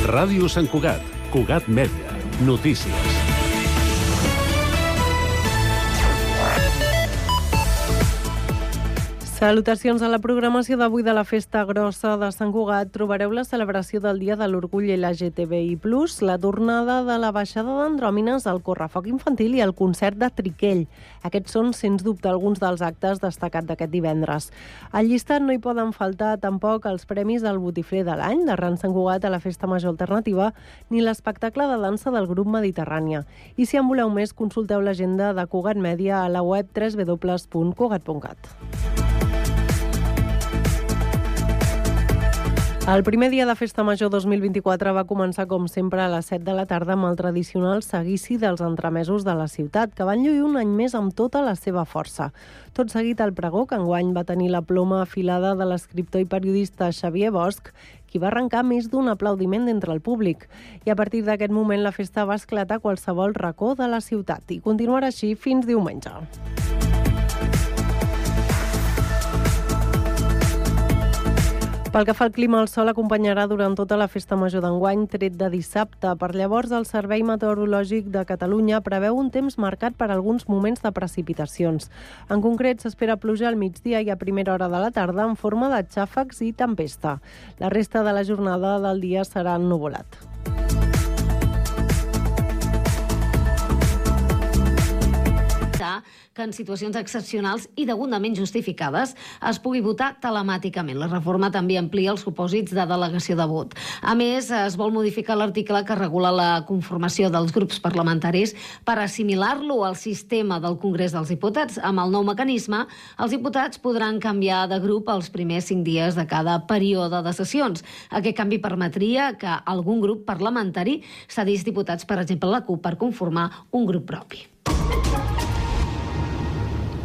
Ràdio Sant Cugat, Cugat Mèdia, notícies. Salutacions a la programació d'avui de la Festa Grossa de Sant Cugat. Trobareu la celebració del Dia de l'Orgull LGTBI+, la tornada de la baixada d'andròmines, el correfoc infantil i el concert de Triquell. Aquests són, sens dubte, alguns dels actes destacats d'aquest divendres. Al llistat no hi poden faltar tampoc els premis del Botifler de l'any, de Ran Sant Cugat a la Festa Major Alternativa, ni l'espectacle de dansa del grup Mediterrània. I si en voleu més, consulteu l'agenda de Cugat Mèdia a la web www.cugat.cat. El primer dia de Festa Major 2024 va començar, com sempre, a les 7 de la tarda amb el tradicional seguici dels entremesos de la ciutat, que van lluir un any més amb tota la seva força. Tot seguit el pregó, que enguany va tenir la ploma afilada de l'escriptor i periodista Xavier Bosch, qui va arrencar més d'un aplaudiment d'entre el públic. I a partir d'aquest moment la festa va esclatar a qualsevol racó de la ciutat i continuarà així fins diumenge. Pel que fa al clima, el sol acompanyarà durant tota la Festa Major d'enguany, tret de dissabte. Per llavors, el Servei Meteorològic de Catalunya preveu un temps marcat per alguns moments de precipitacions. En concret, s'espera pluja al migdia i a primera hora de la tarda en forma de xàfecs i tempesta. La resta de la jornada del dia serà ennuvolat. Que en situacions excepcionals i degudament justificades es pugui votar telemàticament. La reforma també amplia els supòsits de delegació de vot. A més, es vol modificar l'article que regula la conformació dels grups parlamentaris per assimilar-lo al sistema del Congrés dels Diputats. Amb el nou mecanisme, els diputats podran canviar de grup els primers 5 dies de cada període de sessions. Aquest canvi permetria que algun grup parlamentari cedís diputats, per exemple, la CUP, per conformar un grup propi.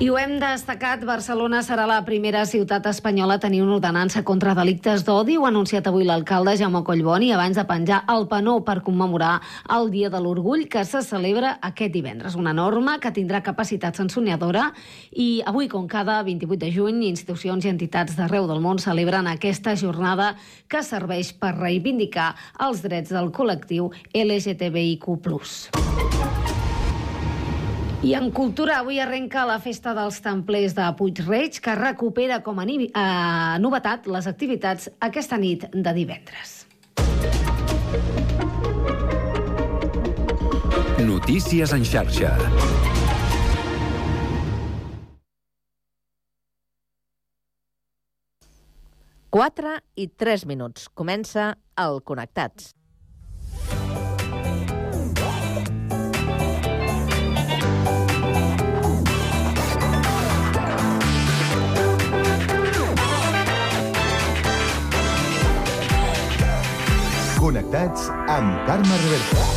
I ho hem destacat, Barcelona serà la primera ciutat espanyola a tenir una ordenança contra delictes d'odi. Ho ha anunciat avui l'alcalde Jaume Collboni abans de penjar el penó per commemorar el Dia de l'Orgull, que se celebra aquest divendres. Una norma que tindrà capacitat sancionadora i avui, com cada 28 de juny, institucions i entitats d'arreu del món celebren aquesta jornada que serveix per reivindicar els drets del col·lectiu LGTBIQ+. I en cultura, avui arrenca la Festa dels Templers de Puig-reig, que recupera com a novetat les activitats aquesta nit de divendres. Notícies en xarxa. Quatre i 3 minuts. Comença el Connectats. Connectats amb Carme Reverte.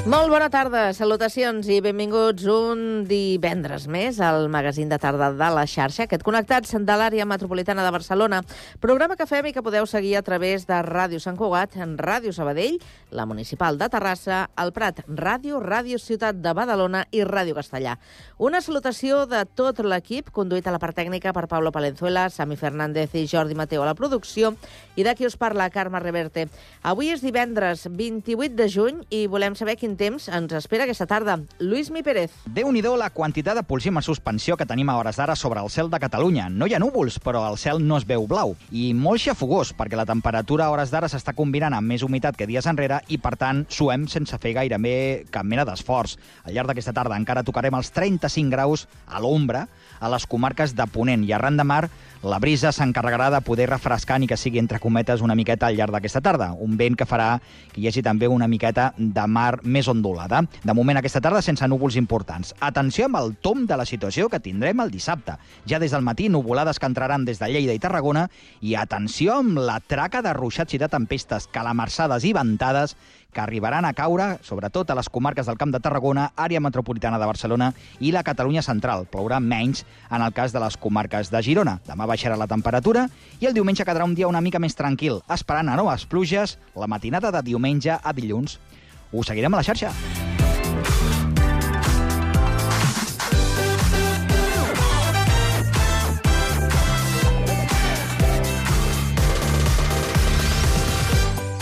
Molt bona tarda, salutacions i benvinguts un divendres més al magazín de tarda de la xarxa, aquest Connectats de l'àrea metropolitana de Barcelona, programa que fem i que podeu seguir a través de Ràdio Sant Cugat, Ràdio Sabadell, la Municipal de Terrassa, el Prat Ràdio, Ràdio Ciutat de Badalona i Ràdio Castellà. Una salutació de tot l'equip, conduït a la part tècnica per Pablo Palenzuela, Sami Fernández i Jordi Mateu a la producció, i de qui us parla, Carme Reverte. Avui és divendres 28 de juny i volem saber quin temps ens espera aquesta tarda. Lluís Mi Pérez. Déu-n'hi-do la quantitat de polsim en suspensió que tenim a hores d'ara sobre el cel de Catalunya. No hi ha núvols, però el cel no es veu blau. I molt xafogós, perquè la temperatura a hores d'ara s'està combinant amb més humitat que dies enrere i, per tant, suem sense fer gairebé cap mena d'esforç. Al llarg d'aquesta tarda encara tocarem els 35 graus a l'ombra a les comarques de Ponent i arran de mar. La brisa s'encarregarà de poder refrescar ni que sigui entre cometes una miqueta al llarg d'aquesta tarda. Un vent que farà que hi hagi també una miqueta de mar més més ondulada. De moment, aquesta tarda, sense núvols importants. Atenció amb el tomb de la situació que tindrem el dissabte. Ja des del matí, nuvolades que entraran des de Lleida i Tarragona, i atenció amb la traca de ruixats i de tempestes, calamarsades i ventades que arribaran a caure, sobretot a les comarques del Camp de Tarragona, àrea metropolitana de Barcelona i la Catalunya central. Plourà menys en el cas de les comarques de Girona. Demà baixarà la temperatura i el diumenge quedarà un dia una mica més tranquil, esperant a noves pluges la matinada de diumenge a dilluns. Us seguirem a la xarxa.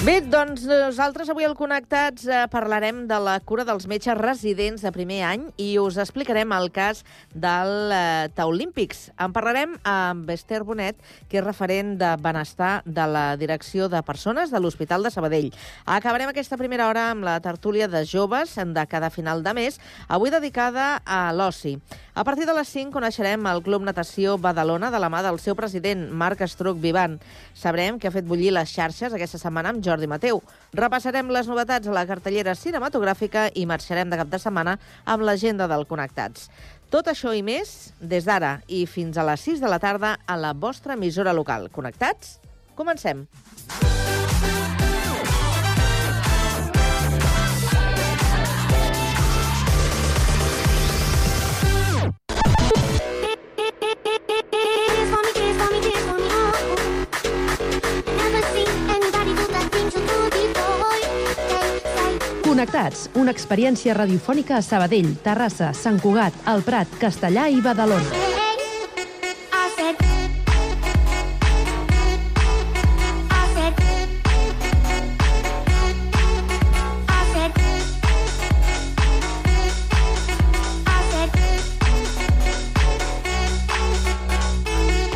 Bé, doncs nosaltres avui al Connectats parlarem de la cura dels metges residents de primer any i us explicarem el cas del Taulímpics. En parlarem amb Esther Bonet, que és referent de benestar de la Direcció de Persones de l'Hospital de Sabadell. Acabarem aquesta primera hora amb la tertúlia de joves de cada final de mes, avui dedicada a l'oci. A partir de les 5 coneixerem el Club Natació Badalona de la mà del seu president, Marc Estruc Vivant. Sabrem què ha fet bullir les xarxes aquesta setmana amb Jordi Mateu. Repassarem les novetats a la cartellera cinematogràfica i marxarem de cap de setmana amb l'agenda del Connectats. Tot això i més des d'ara i fins a les 6 de la tarda a la vostra emissora local. Connectats? Comencem. Connectats, una experiència radiofònica a Sabadell, Terrassa, Sant Cugat, El Prat, Castellà i Badalona.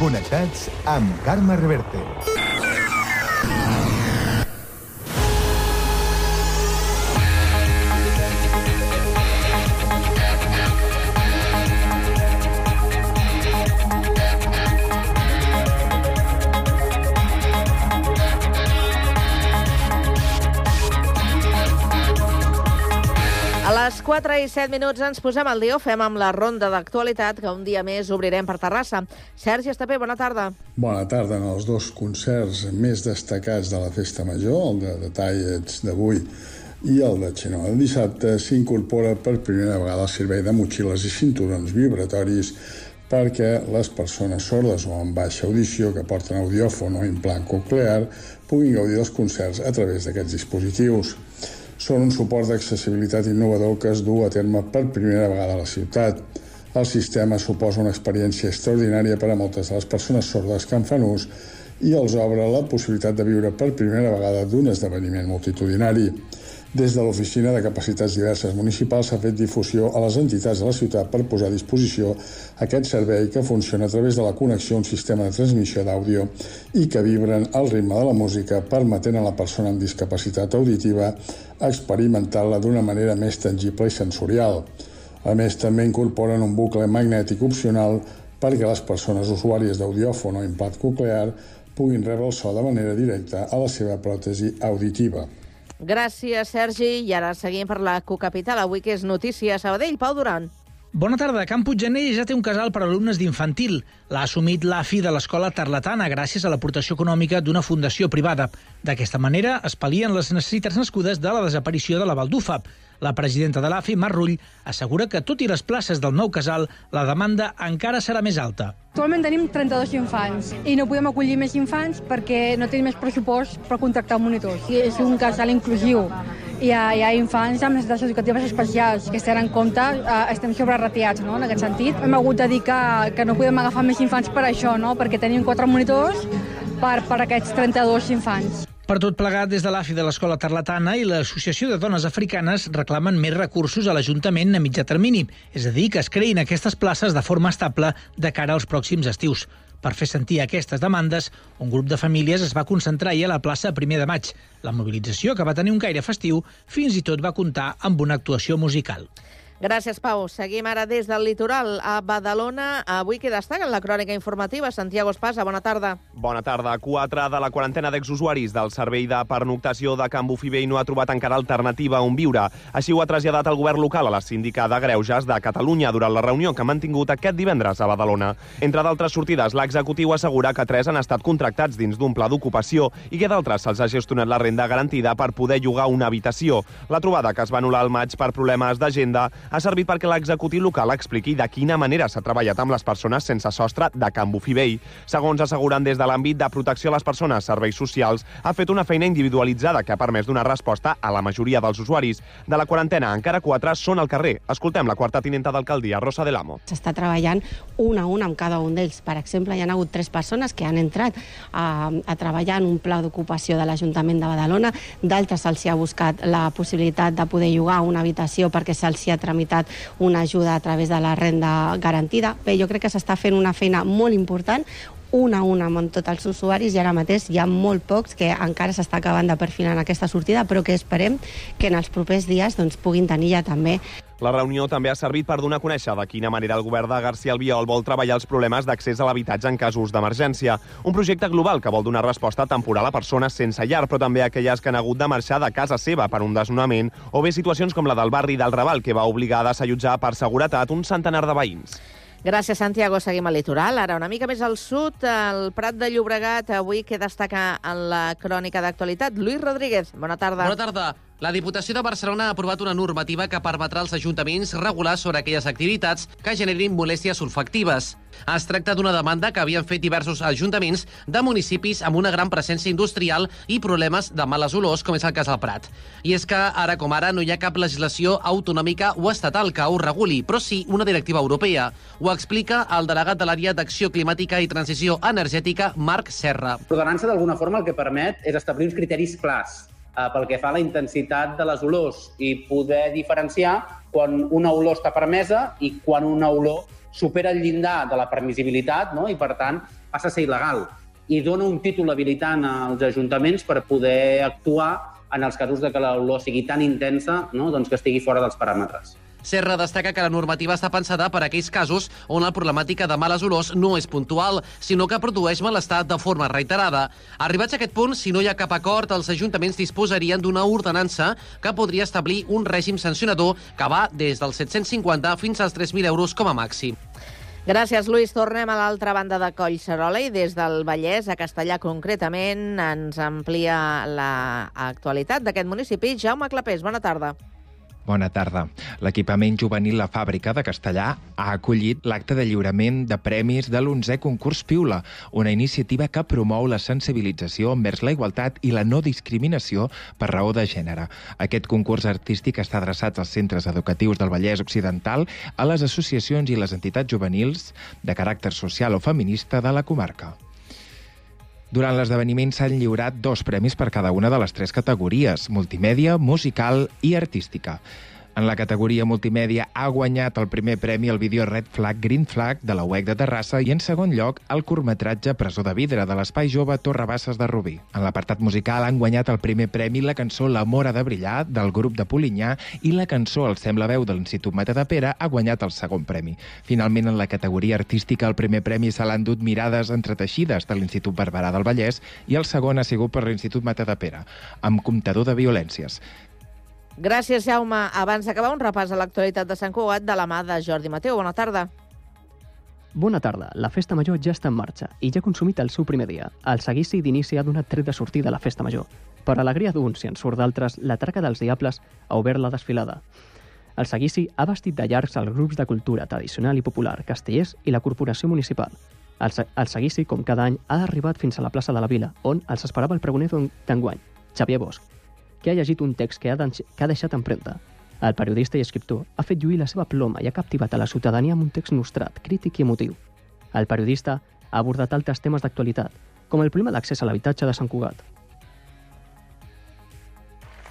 Connectats amb Carme Reverte. A les 4 i 7 minuts ens posem al dia, ho fem amb la ronda d'actualitat que un dia més obrirem per Terrassa. Sergi Estapé, bona tarda. Bona tarda. En els dos concerts més destacats de la Festa Major, el de Detallets d'avui i el de Xenó el dissabte, s'incorpora per primera vegada el servei de motxilles i cinturons vibratoris perquè les persones sordes o amb baixa audició que porten audiòfon o implant coclear puguin gaudir dels concerts a través d'aquests dispositius. Són un suport d'accessibilitat innovador que es du a terme per primera vegada a la ciutat. El sistema suposa una experiència extraordinària per a moltes de les persones sordes que en fan ús i els obre la possibilitat de viure per primera vegada d'un esdeveniment multitudinari. Des de l'Oficina de Capacitats Diverses Municipal s'ha fet difusió a les entitats de la ciutat per posar a disposició aquest servei que funciona a través de la connexió a un sistema de transmissió d'àudio i que vibren al ritme de la música, permetent a la persona amb discapacitat auditiva experimentar-la d'una manera més tangible i sensorial. A més, també incorporen un bucle magnètic opcional perquè les persones usuàries d'audiòfon o implant coclear puguin rebre el so de manera directa a la seva pròtesi auditiva. Gràcies, Sergi. I ara seguim per la cocapital. Avui que és notícia a Sabadell. Pau Duran. Bona tarda. Can Puiggener ja té un casal per a alumnes d'infantil. L'ha assumit l'AFI de l'Escola Tarlatana gràcies a l'aportació econòmica d'una fundació privada. D'aquesta manera es pal·lien les necessitats nascudes de la desaparició de la Baldufa. La presidenta de l'AFI, Mar Rull, assegura que, tot i les places del nou casal, la demanda encara serà més alta. Actualment tenim 32 infants i no podem acollir més infants perquè no tenim més pressupost per contractar monitors. I és un casal inclusiu. Hi ha infants amb necessitats educatives especials que es tenen en compte, estem sobreratiats, no? En aquest sentit. Hem hagut de dir que no podem agafar més infants per això, no? Perquè tenim 4 monitors per aquests 32 infants. Per tot plegat, des de l'AFI de l'Escola Tarlatana i l'Associació de Dones Africanes reclamen més recursos a l'Ajuntament a mitjà termini, és a dir, que es creïn aquestes places de forma estable de cara als pròxims estius. Per fer sentir aquestes demandes, un grup de famílies es va concentrar ahir a la plaça 1 de maig. La mobilització, que va tenir un caire festiu, fins i tot va comptar amb una actuació musical. Gràcies, Pau. Seguim ara des del litoral a Badalona. Avui que destaca en la crònica informativa. Santiago Espasa, bona tarda. Bona tarda. 4 de la quarantena d'exusuaris del servei de pernoctació de Can Bufibell no ha trobat encara alternativa on viure. Així ho ha traslladat el govern local a la síndica de Greuges de Catalunya durant la reunió que ha mantingut aquest divendres a Badalona. Entre d'altres sortides, l'executiu assegura que 3 han estat contractats dins d'un pla d'ocupació i que d'altres se'ls ha gestionat la renda garantida per poder llogar una habitació. La trobada, que es va anul·lar al maig per problemes d'agenda, ha servit perquè l'executiu local expliqui de quina manera s'ha treballat amb les persones sense sostre de Can Bufibell. Segons asseguren des de l'àmbit de protecció a les persones, serveis socials, ha fet una feina individualitzada que ha permès donar resposta a la majoria dels usuaris. De la quarantena, encara 4 són al carrer. Escoltem la quarta tinenta d'alcaldia, Rosa del Amo. S'està treballant un a un amb cada un d'ells. Per exemple, hi ha hagut 3 persones que han entrat a treballar en un pla d'ocupació de l'Ajuntament de Badalona. D'altres se'ls ha buscat la possibilitat de poder llogar una habitació perquè se'ls ha tramitat una ajuda a través de la renda garantida. Bé, jo crec que s'està fent una feina molt important, un a un amb tots els usuaris, i ara mateix hi ha molt pocs que encara s'està acabant de perfilar en aquesta sortida, però que esperem que en els propers dies puguin tenir ja també. La reunió també ha servit per donar a conèixer de quina manera el govern de García Albiol vol treballar els problemes d'accés a l'habitatge en casos d'emergència. Un projecte global que vol donar resposta temporal a persones sense llar, però també a aquelles que han hagut de marxar de casa seva per un desnonament, o bé situacions com la del barri del Raval, que va obligar a desallotjar per seguretat un centenar de veïns. Gràcies, Santiago. Seguim al litoral. Ara una mica més al sud, el Prat de Llobregat, avui que destaca en la crònica d'actualitat. Lluís Rodríguez, bona tarda. Bona tarda. La Diputació de Barcelona ha aprovat una normativa que permetrà als ajuntaments regular sobre aquelles activitats que generin molèsties olfactives. Es tracta d'una demanda que havien fet diversos ajuntaments de municipis amb una gran presència industrial i problemes de males olors, com és el cas del Prat. I és que, ara com ara, no hi ha cap legislació autonòmica o estatal que ho reguli, però sí una directiva europea. Ho explica el delegat de l'àrea d'Acció Climàtica i Transició Energètica, Marc Serra. L'ordenança, d'alguna forma, el que permet és establir uns criteris clars pel que fa a la intensitat de les olors i poder diferenciar quan una olor està permesa i quan una olor supera el llindar de la permissibilitat, no? I, per tant, passa a ser il·legal. I dona un títol habilitant als ajuntaments per poder actuar en els casos de que l'olor sigui tan intensa, no? Doncs que estigui fora dels paràmetres. Serra destaca que la normativa està pensada per a aquells casos on la problemàtica de males olors no és puntual, sinó que produeix malestar de forma reiterada. Arribats a aquest punt, si no hi ha cap acord, els ajuntaments disposarien d'una ordenança que podria establir un règim sancionador que va des dels 750 fins als 3.000 euros com a màxim. Gràcies, Lluís. Tornem a l'altra banda de Collserola i des del Vallès, a Castellà concretament, ens amplia l'actualitat d'aquest municipi. Jaume Clapés, bona tarda. Bona tarda. L'equipament juvenil La Fàbrica de Castellà ha acollit l'acte de lliurament de premis de l'11è concurs Piula, una iniciativa que promou la sensibilització envers la igualtat i la no discriminació per raó de gènere. Aquest concurs artístic està adreçat als centres educatius del Vallès Occidental, a les associacions i les entitats juvenils de caràcter social o feminista de la comarca. Durant l'esdeveniment s'han lliurat 2 premis per cada una de les 3 categories: multimèdia, musical i artística. En la categoria multimèdia ha guanyat el primer premi el vídeo Red Flag, Green Flag de la UEC de Terrassa i en segon lloc el curtmetratge Presó de Vidre de l'Espai Jove Torre Basses de Rubí. En l'apartat musical han guanyat el primer premi la cançó L'amor ha de brillar del grup de Polinyà i la cançó El sembla veu de l'Institut Matadepera ha guanyat el segon premi. Finalment, en la categoria artística, el primer premi se l'han dut Mirades entreteixides de l'Institut Barberà del Vallès i el segon ha sigut per l'Institut Matadepera, amb comptador de violències. Gràcies, Jaume. Abans d'acabar, un repàs a l'actualitat de Sant Cugat de la mà de Jordi Mateu. Bona tarda. Bona tarda. La Festa Major ja està en marxa i ja ha consumit el seu primer dia. El seguici d'inici ha donat tret de sortida a la Festa Major. Per alegria d'uns i en surt d'altres, la Traca dels Diables ha obert la desfilada. El seguici ha vestit de llargs els grups de cultura tradicional i popular, castellers i la Corporació Municipal. El seguici, com cada any, ha arribat fins a la plaça de la Vila, on els esperava el pregoner d'enguany, Xavier Bosch, que ha llegit un text que ha deixat empremta. El periodista i escriptor ha fet lluir la seva ploma i ha captivat a la ciutadania amb un text nostrat, crític i emotiu. El periodista ha abordat altres temes d'actualitat, com el problema d'accés a l'habitatge de Sant Cugat.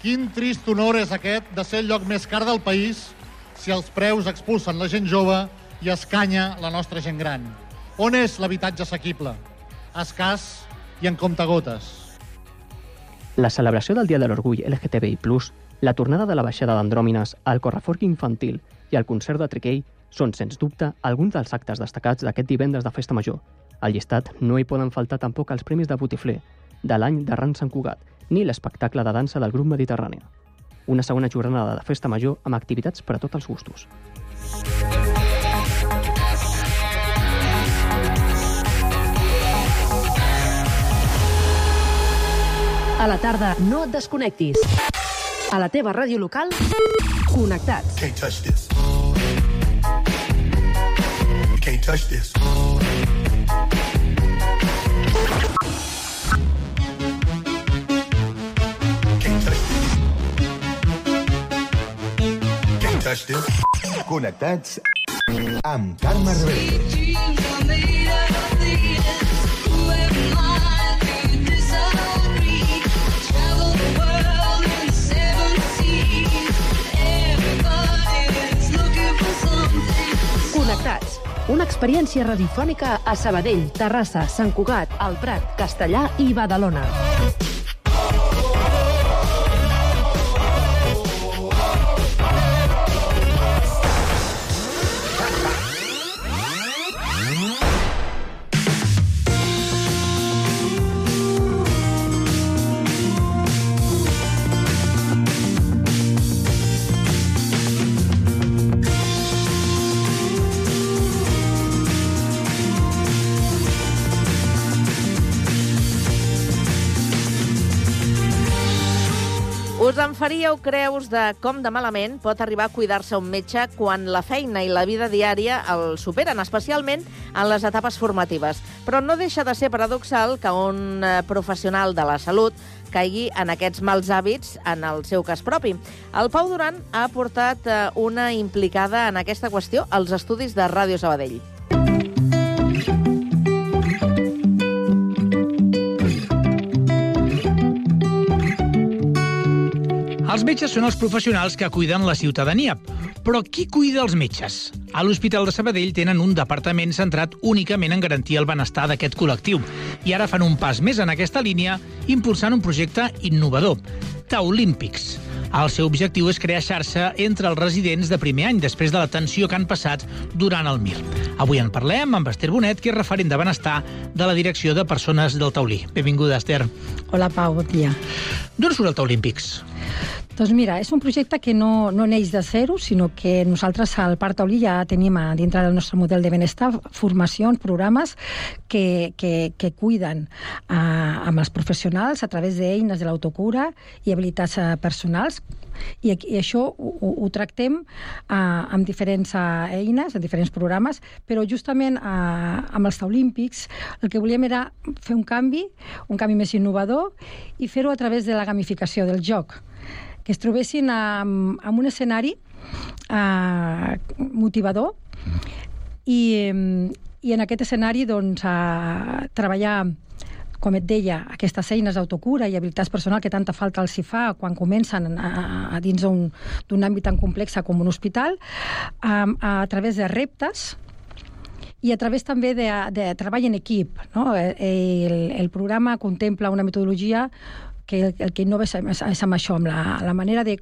Quin trist honor és aquest de ser el lloc més car del país si els preus expulsen la gent jove i escanya la nostra gent gran. On és l'habitatge assequible? Escàs i en comptagotes. La celebració del Dia de l'Orgull LGTBI+, La tornada de la baixada d'andròmines, el correfoc infantil i el concert de Triquell són, sens dubte, alguns dels actes destacats d'aquest divendres de Festa Major. Al llistat no hi poden faltar tampoc els Premis de Botifler de l'any de Ran Sant Cugat, ni l'espectacle de dansa del grup Mediterrània. Una segona jornada de Festa Major amb activitats per a tots els gustos. A la tarda, no et desconnectis. A la teva ràdio local, connectats. Can't touch this. Can't touch this. Touch this. Connectats amb Carme Reverte. Connectats. Una experiència radiofònica a Sabadell, Terrassa, Sant Cugat, El Prat, Castellar i Badalona. Us en faríeu creus de com de malament pot arribar a cuidar-se un metge quan la feina i la vida diària el superen, especialment en les etapes formatives. Però no deixa de ser paradoxal que un professional de la salut caigui en aquests mals hàbits en el seu cas propi. El Pau Duran ha portat una implicada en aquesta qüestió als estudis de Ràdio Sabadell. Els metges són els professionals que cuiden la ciutadania. Però qui cuida els metges? A l'Hospital de Sabadell tenen un departament centrat únicament en garantir el benestar d'aquest col·lectiu. I ara fan un pas més en aquesta línia, impulsant un projecte innovador, Taulímpics. El seu objectiu és crear xarxa entre els residents de primer any, després de l'atenció que han passat durant el MIR. Avui en parlem amb Esther Bonet, que és referent de benestar de la Direcció de Persones del Taulí. Benvinguda, Esther. Hola, Pau, bon dia. D'on surt el Taulímpics? Doncs mira, és un projecte que no neix de zero, sinó que nosaltres al Parc Taulí ja tenim dintre del nostre model de benestar formacions, programes que cuiden amb els professionals a través d'eines de l'autocura i habilitats personals. I això ho tractem amb diferents eines, amb diferents programes, però justament amb els Taulímpics el que volíem era fer un canvi més innovador i fer-ho a través de la gamificació del joc, que es trobessin en un escenari motivador i en aquest escenari doncs, treballar, com et deia, aquestes eines d'autocura i habilitats personals que tanta falta els hi fa quan comencen a dins d'un àmbit tan complex com un hospital, a través de reptes i a través també de treball en equip. No? El programa contempla una metodologia que el que innova és amb això, amb la manera de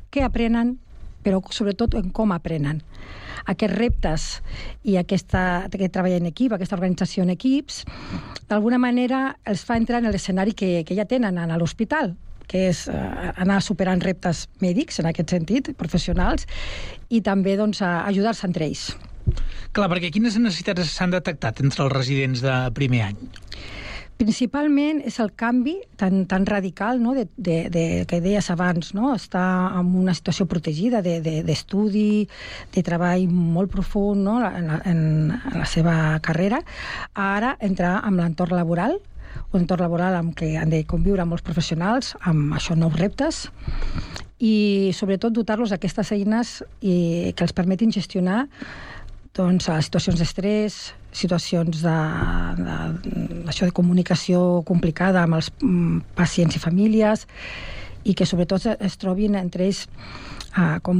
què aprenen, però sobretot en com aprenen. Aquests reptes i aquest treball en equip, aquesta organització en equips, d'alguna manera els fa entrar en l'escenari que ja tenen a l'hospital, que és anar superant reptes mèdics, en aquest sentit, professionals, i també doncs, ajudar-se entre ells. Clar, perquè quines necessitats s'han detectat entre els residents de primer any? Principalment és el canvi tan radical, no? que deies abans, no? Estar en una situació protegida d'estudi, de treball molt profund, no? en la seva carrera, a ara entrar en l'entorn laboral, un entorn laboral amb què han de conviure molts professionals, amb això nous reptes, i sobretot dotar-los d'aquestes eines que els permetin gestionar doncs, situacions d'estrès, situacions de comunicació complicada amb els pacients i famílies, i que sobretot es trobin entre ells com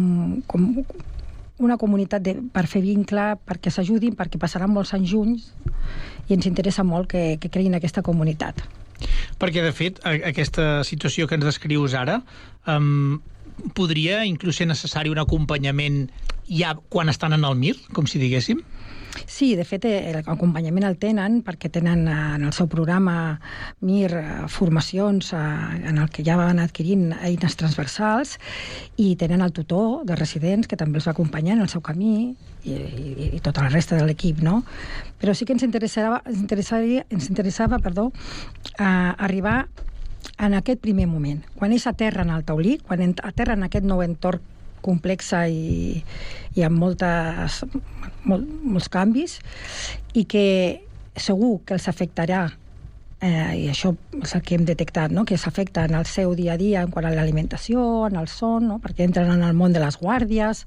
una comunitat per fer vincle, perquè s'ajudin, perquè passaran molts anys junts, i ens interessa molt que creïn aquesta comunitat. Perquè, de fet, aquesta situació que ens descrius ara podria inclús ser necessari un acompanyament ja quan estan en el MIR, com si diguéssim? Sí, de fet, l'acompanyament el tenen perquè tenen en el seu programa MIR formacions en el que ja van adquirint eines transversals i tenen el tutor de residents que també els va acompanyar en el seu camí i tota la resta de l'equip, no? Però sí que ens interessava arribar en aquest primer moment, quan ells aterren al taulí, quan aterren en aquest nou entorn complexa i amb molts canvis, i que segur que els afectarà, i això és el que hem detectat, no? Que s'afecta en el seu dia a dia en quant a l'alimentació, en el son, no? Perquè entren en el món de les guàrdies,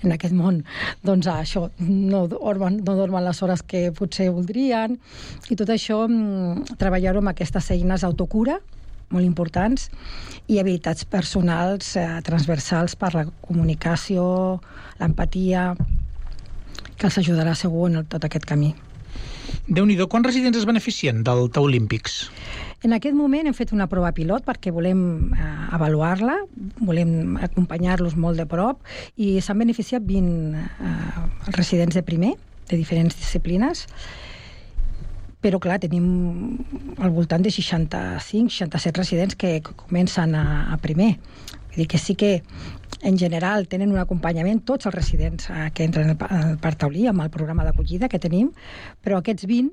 en aquest món doncs això no dormen les hores que potser voldrien, i tot això treballar-ho amb aquestes eines d'autocura molt importants i habilitats personals transversals per la comunicació, l'empatia, que els ajudarà segur en tot aquest camí. Déu-n'hi-do, quants residents es beneficien del Taulímpics? En aquest moment hem fet una prova pilot perquè volem avaluar-la, volem acompanyar-los molt de prop i s'han beneficiat 20 residents de primer, de diferents disciplines, però clar, tenim al voltant de 65-67 residents que comencen a primer. Vull dir que sí que en general tenen un acompanyament tots els residents que entren al Parc Taulí amb el programa d'acollida que tenim, però aquests 20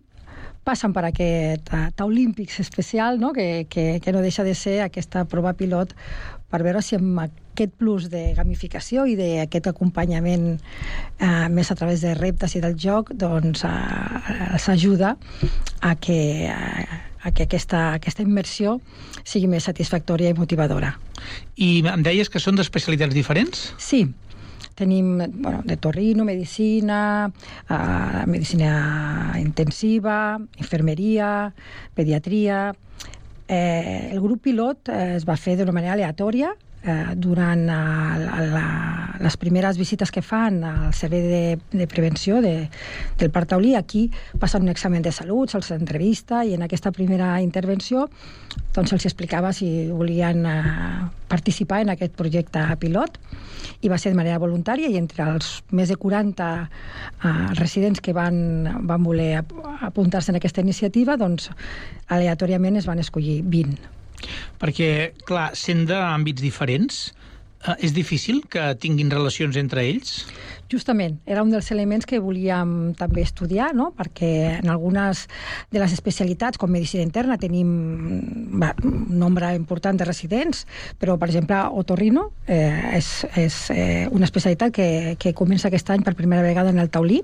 passen per aquest Taulímpics especial, no? Que no deixa de ser aquesta prova pilot per veure si amb aquest plus de gamificació i d'aquest acompanyament més a través de reptes i del joc doncs els ajuda a que aquesta immersió sigui més satisfactòria i motivadora. I em deies que són d'especialitats diferents? Sí. Tenim de torrino, medicina, medicina intensiva, infermeria, pediatria. El grup pilot es va fer d'una manera aleatòria durant les primeres visites que fan al servei de prevenció del Parc Taulí. Aquí passen un examen de salut, se'ls entrevista i en aquesta primera intervenció doncs se'ls explicava si volien participar en aquest projecte pilot i va ser de manera voluntària i entre els més de 40 residents que van voler apuntar-se en aquesta iniciativa doncs aleatòriament es van escollir 20. Perquè, clar, sent d'àmbits diferents, és difícil que tinguin relacions entre ells? Justament, era un dels elements que volíem també estudiar, no? Perquè en algunes de les especialitats, com medicina interna, tenim un nombre important de residents, però, per exemple, otorrino és una especialitat que comença aquest any per primera vegada en el Taulí,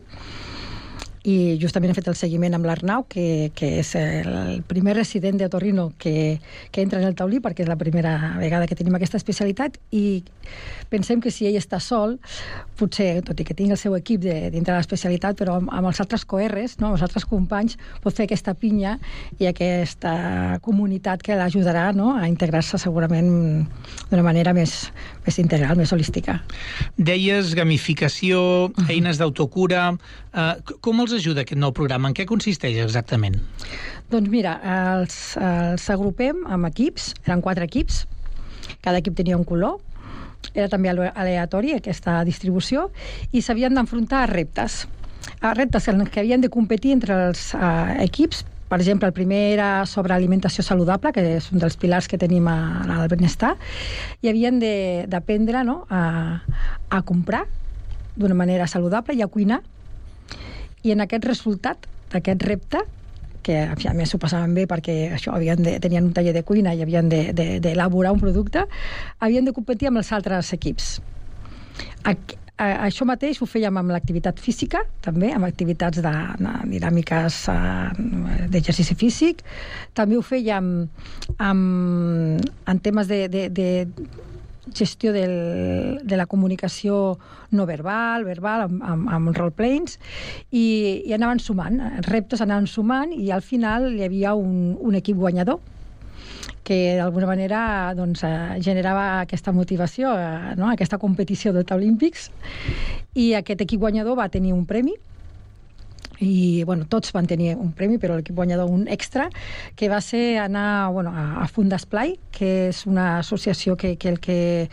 i justament he fet el seguiment amb l'Arnau, que és el primer resident d'otorrino que entra en el Taulí, perquè és la primera vegada que tenim aquesta especialitat, i pensem que si ell està sol, potser, tot i que tingui el seu equip dintre de l'especialitat, però amb els altres coerres, no? Amb els altres companys, pot fer aquesta pinya i aquesta comunitat que l'ajudarà, no? A integrar-se segurament d'una manera més integral, més holística. Deies gamificació, eines d'autocura. Com els ajuda aquest nou programa? En què consisteix exactament? Doncs mira, els agrupem amb equips, eren 4 equips, cada equip tenia un color, era també aleatori aquesta distribució, i s'havien d'enfrontar a reptes en què havien de competir entre els equips. Per exemple, el primer era sobre alimentació saludable, que és un dels pilars que tenim al benestar, i havien d'aprendre a comprar d'una manera saludable i a cuinar. I en aquest resultat d'aquest repte, que a més s'ho passaven bé perquè això tenien un taller de cuina i havien d'elaborar un producte, havien de competir amb els altres equips. Això mateix ho fèiem amb l'activitat física, també, amb activitats dinàmiques d'exercici físic. També ho fèiem en temes de gestió de la comunicació no verbal, amb roleplays, i anaven sumant, reptes anaven sumant, i al final hi havia un equip guanyador que d'alguna manera generava aquesta motivació, aquesta competició de Taulímpics, i aquest equip guanyador va tenir un premi i tots van tenir un premi, però l'equip guanyador un extra, que va ser anar a Fundesplai, que és una associació que el que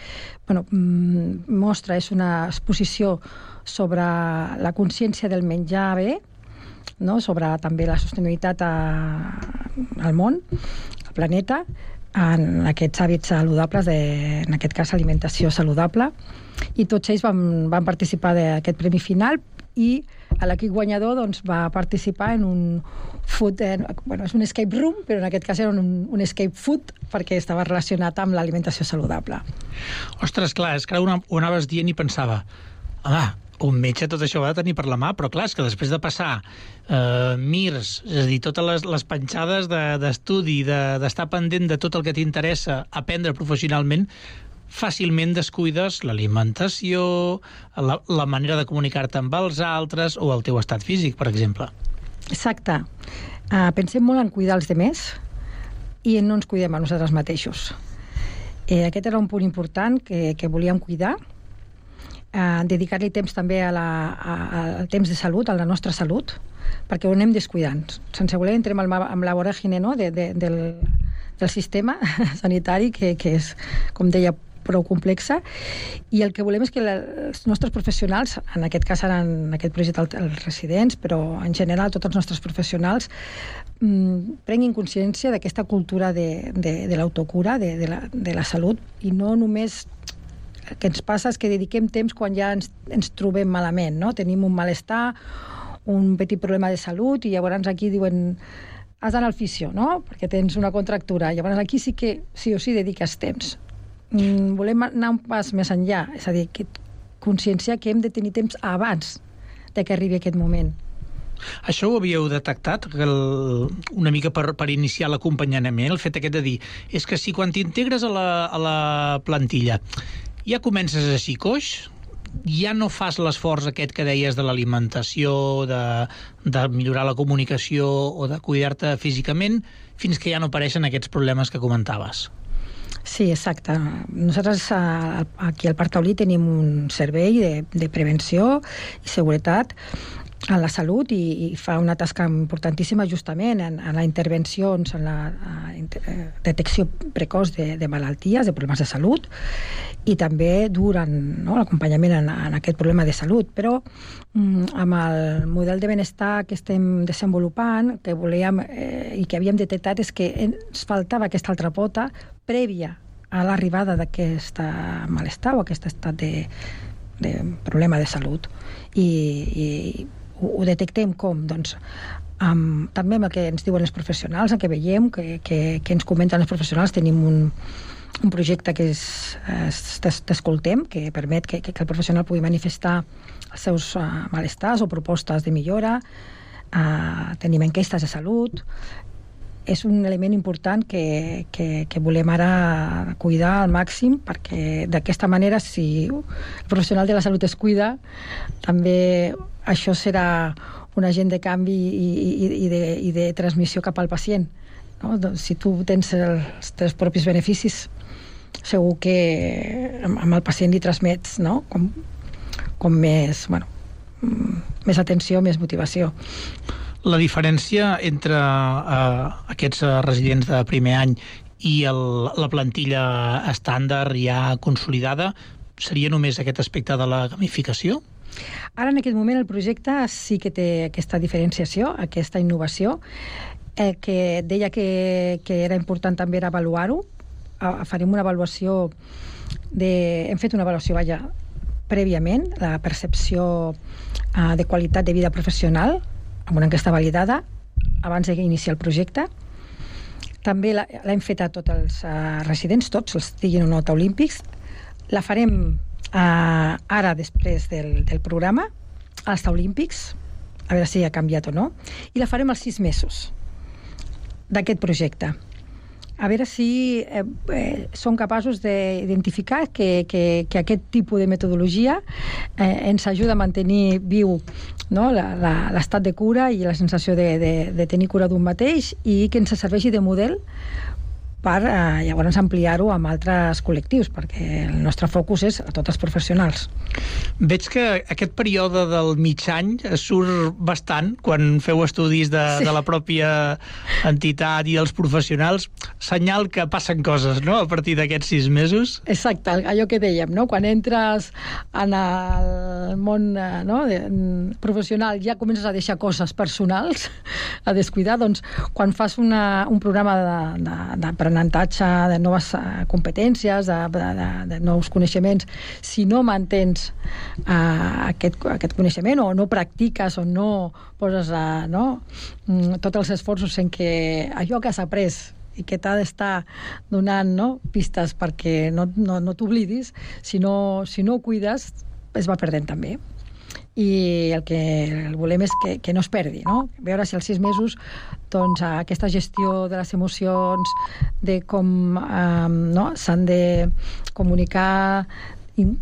mostra és una exposició sobre la consciència del menjar bé, sobre també la sostenibilitat al món, al planeta, en aquests hàbits saludables, en aquest cas alimentació saludable, i tots ells van participar d'aquest premi final, i l'equip guanyador va participar en un food, és un escape room, però en aquest cas era un escape food perquè estava relacionat amb l'alimentació saludable. Ostres, clar, és que ara ho anaves dient i pensava, home, un metge tot això ho ha de tenir per la mà, però clar, és que després de passar MIRS, és a dir, totes les penjades d'estudi, d'estar pendent de tot el que t'interessa aprendre professionalment, fàcilment descuides l'alimentació, la manera de comunicar-te amb els altres o el teu estat físic, per exemple. Exacte. Pensem molt en cuidar els demés i no ens cuidem a nosaltres mateixos. Aquest era un punt important que volíem cuidar, dedicar-li temps també al temps de salut, a la nostra salut, perquè ho anem descuidant. Sense voler entrem amb la voràgine del sistema sanitari, que és, com deia, prou complexa, i el que volem és que els nostres professionals, en aquest cas ara en aquest projecte els residents, però en general tots els nostres professionals, prenguin consciència d'aquesta cultura de l'autocura, de la salut, i no només el que ens passa és que dediquem temps quan ja ens trobem malament, no? Tenim un malestar, un petit problema de salut, i llavors aquí diuen has d'anar al fisio, no? Perquè tens una contractura. Llavors aquí sí que sí o sí dediques temps. Volem anar un pas més enllà, és a dir, conscienciar que hem de tenir temps abans de que arribi aquest moment. Això ho havíeu detectat una mica per iniciar l'acompanyament, el fet aquest de dir, és que si quan t'integres a la plantilla ja comences així coix, ja no fas l'esforç aquest que deies de l'alimentació, de millorar la comunicació o de cuidar-te físicament, fins que ja no apareixen aquests problemes que comentaves. Sí, exacte. Nosaltres aquí al Parc Taulí tenim un servei de prevenció i seguretat a la salut i fa una tasca importantíssima justament en la intervenció, en la detecció precoç de malalties, de problemes de salut, i també durant l'acompanyament en aquest problema de salut. Però amb el model de benestar que estem desenvolupant, que volíem i que havíem detectat, és que ens faltava aquesta altra pota prèvia a l'arribada d'aquest malestar o aquest estat de problema de salut. I ho detectem com? Doncs també amb el que ens diuen els professionals, el que veiem, que ens comenten els professionals. Tenim un projecte que és T'escoltem, que permet que el professional pugui manifestar els seus malestars o propostes de millora. Tenim enquestes de salut. És un element important que volem ara cuidar al màxim, perquè d'aquesta manera, si el professional de la salut es cuida, també això serà un agent de canvi i de transmissió cap al pacient. Doncs, si tu tens els teus propis beneficis, segur que amb el pacient li transmets com més atenció, més motivació. La diferència entre aquests residents de primer any i la plantilla estàndard ja consolidada seria només aquest aspecte de la gamificació? Ara, en aquest moment, el projecte sí que té aquesta diferenciació, aquesta innovació. El que deia que era important també era avaluar-ho. Farem una avaluació hem fet una avaluació, prèviament, la percepció de qualitat de vida professional, amb una enquesta validada abans d'iniciar el projecte. També l'hem fet a tots els residents, tots els estiguin o no olímpics. La farem ara, després del programa, als olímpics, a veure si ha canviat o no, i la farem als 6 mesos d'aquest projecte. A veure si som capaços d'identificar que aquest tipus de metodologia ens ajuda a mantenir viu l'estat de cura i la sensació de tenir cura d'un mateix, i que ens serveixi de model per llavors ampliar-ho amb altres col·lectius, perquè el nostre focus és a tots els professionals. Veig que aquest període del mig any surt bastant quan feu estudis de la pròpia entitat i els professionals. Senyal que passen coses, no?, a partir d'aquests 6 mesos. Exacte, allò que dèiem, no?, quan entres en el món professional ja comences a deixar coses personals a descuidar, doncs quan fas un programa d'aprenentatge, de noves competències, de nous coneixements, si no mantens aquest coneixement o no practiques o no poses tots els esforços en què allò que has après i que t'ha d'estar donant pistes perquè no t'oblidis, si no ho cuides, es va perdent també. I el que volem és que no es perdi, no? Veure si als 6 mesos doncs, aquesta gestió de les emocions, de com s'han de comunicar,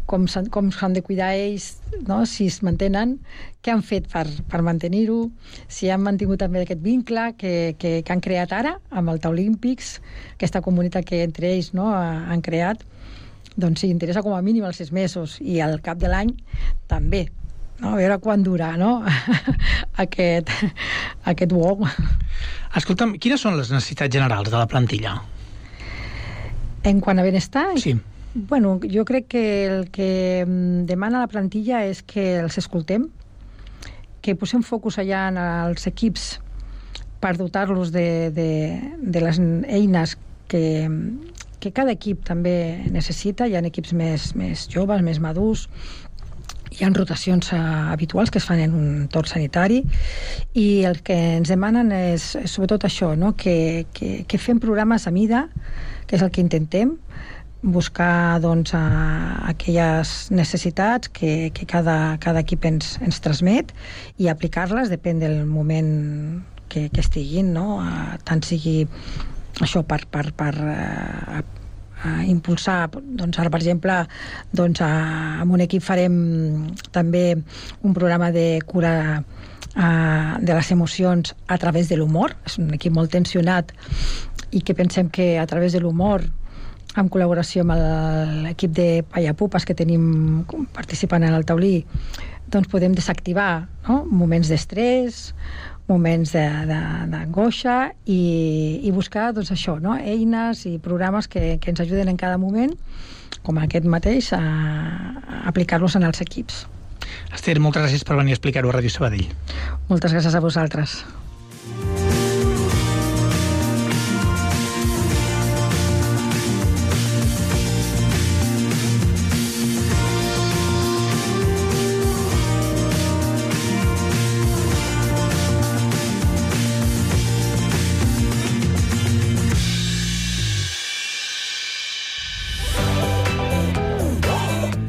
com s'han de cuidar ells, no? Si es mantenen, què han fet per mantenir-ho, si han mantingut també aquest vincle que han creat ara amb el Taulímpics, aquesta comunitat que entre ells han creat, doncs sí, interessa com a mínim els 6 mesos i al cap de l'any també. A veure quan dura, no?, aquest wow. Escolta'm, quines són les necessitats generals de la plantilla? En quant a benestar? Sí. Bueno, jo crec que el que demana la plantilla és que els escoltem, que posem focus allà en els equips per dotar-los de les eines que cada equip també necessita. Hi ha equips més joves, més madurs, hi ha rotacions habituals que es fan en un entorn sanitari i el que ens demanen és sobretot això, no? que fem programes a mida, que és el que intentem, buscar doncs, aquelles necessitats que cada equip ens transmet i aplicar-les depèn del moment que estiguin, no? Tant sigui això per impulsar, doncs ara per exemple doncs amb un equip farem també un programa de cura de les emocions a través de l'humor. És un equip molt tensionat i que pensem que a través de l'humor, en col·laboració amb l'equip de Pallapupes que tenim participant en el taulí, doncs podem desactivar moments d'estrès, moments d'angoixa i buscar doncs, això, eines i programes que ens ajuden en cada moment, com aquest mateix, a aplicar-los en els equips. Esther, moltes gràcies per venir a explicar-ho a Ràdio Sabadell. Moltes gràcies a vosaltres.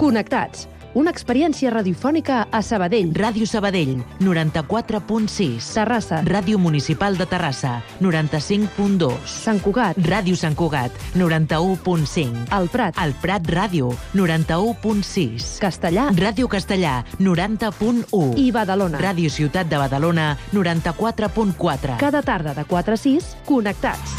Connectats, una experiència radiofònica a Sabadell. Ràdio Sabadell, 94.6. Terrassa. Ràdio Municipal de Terrassa, 95.2. Sant Cugat. Ràdio Sant Cugat, 91.5. El Prat. El Prat Ràdio, 91.6. Castellà. Ràdio Castellà, 90.1. I Badalona. Ràdio Ciutat de Badalona, 94.4. Cada tarda de 4 a 6, Connectats.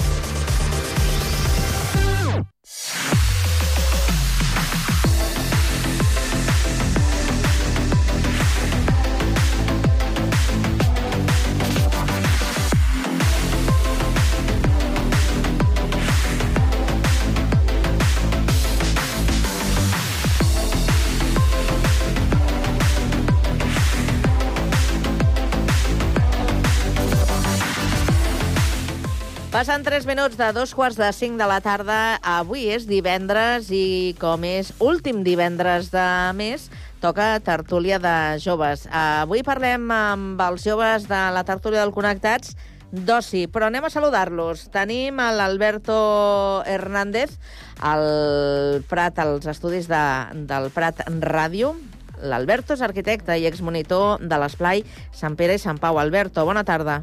Passen 3 minuts de 2:45 de la tarda. Avui és divendres i, com és últim divendres de mes, toca tertúlia de joves. Avui parlem amb els joves de la tertúlia del Connectats d'oci, però anem a saludar-los. Tenim l'Alberto Hernández, al Prat, als estudis del Prat Ràdio. L'Alberto és arquitecte i exmonitor de l'Esplai Sant Pere i Sant Pau. Alberto, bona tarda.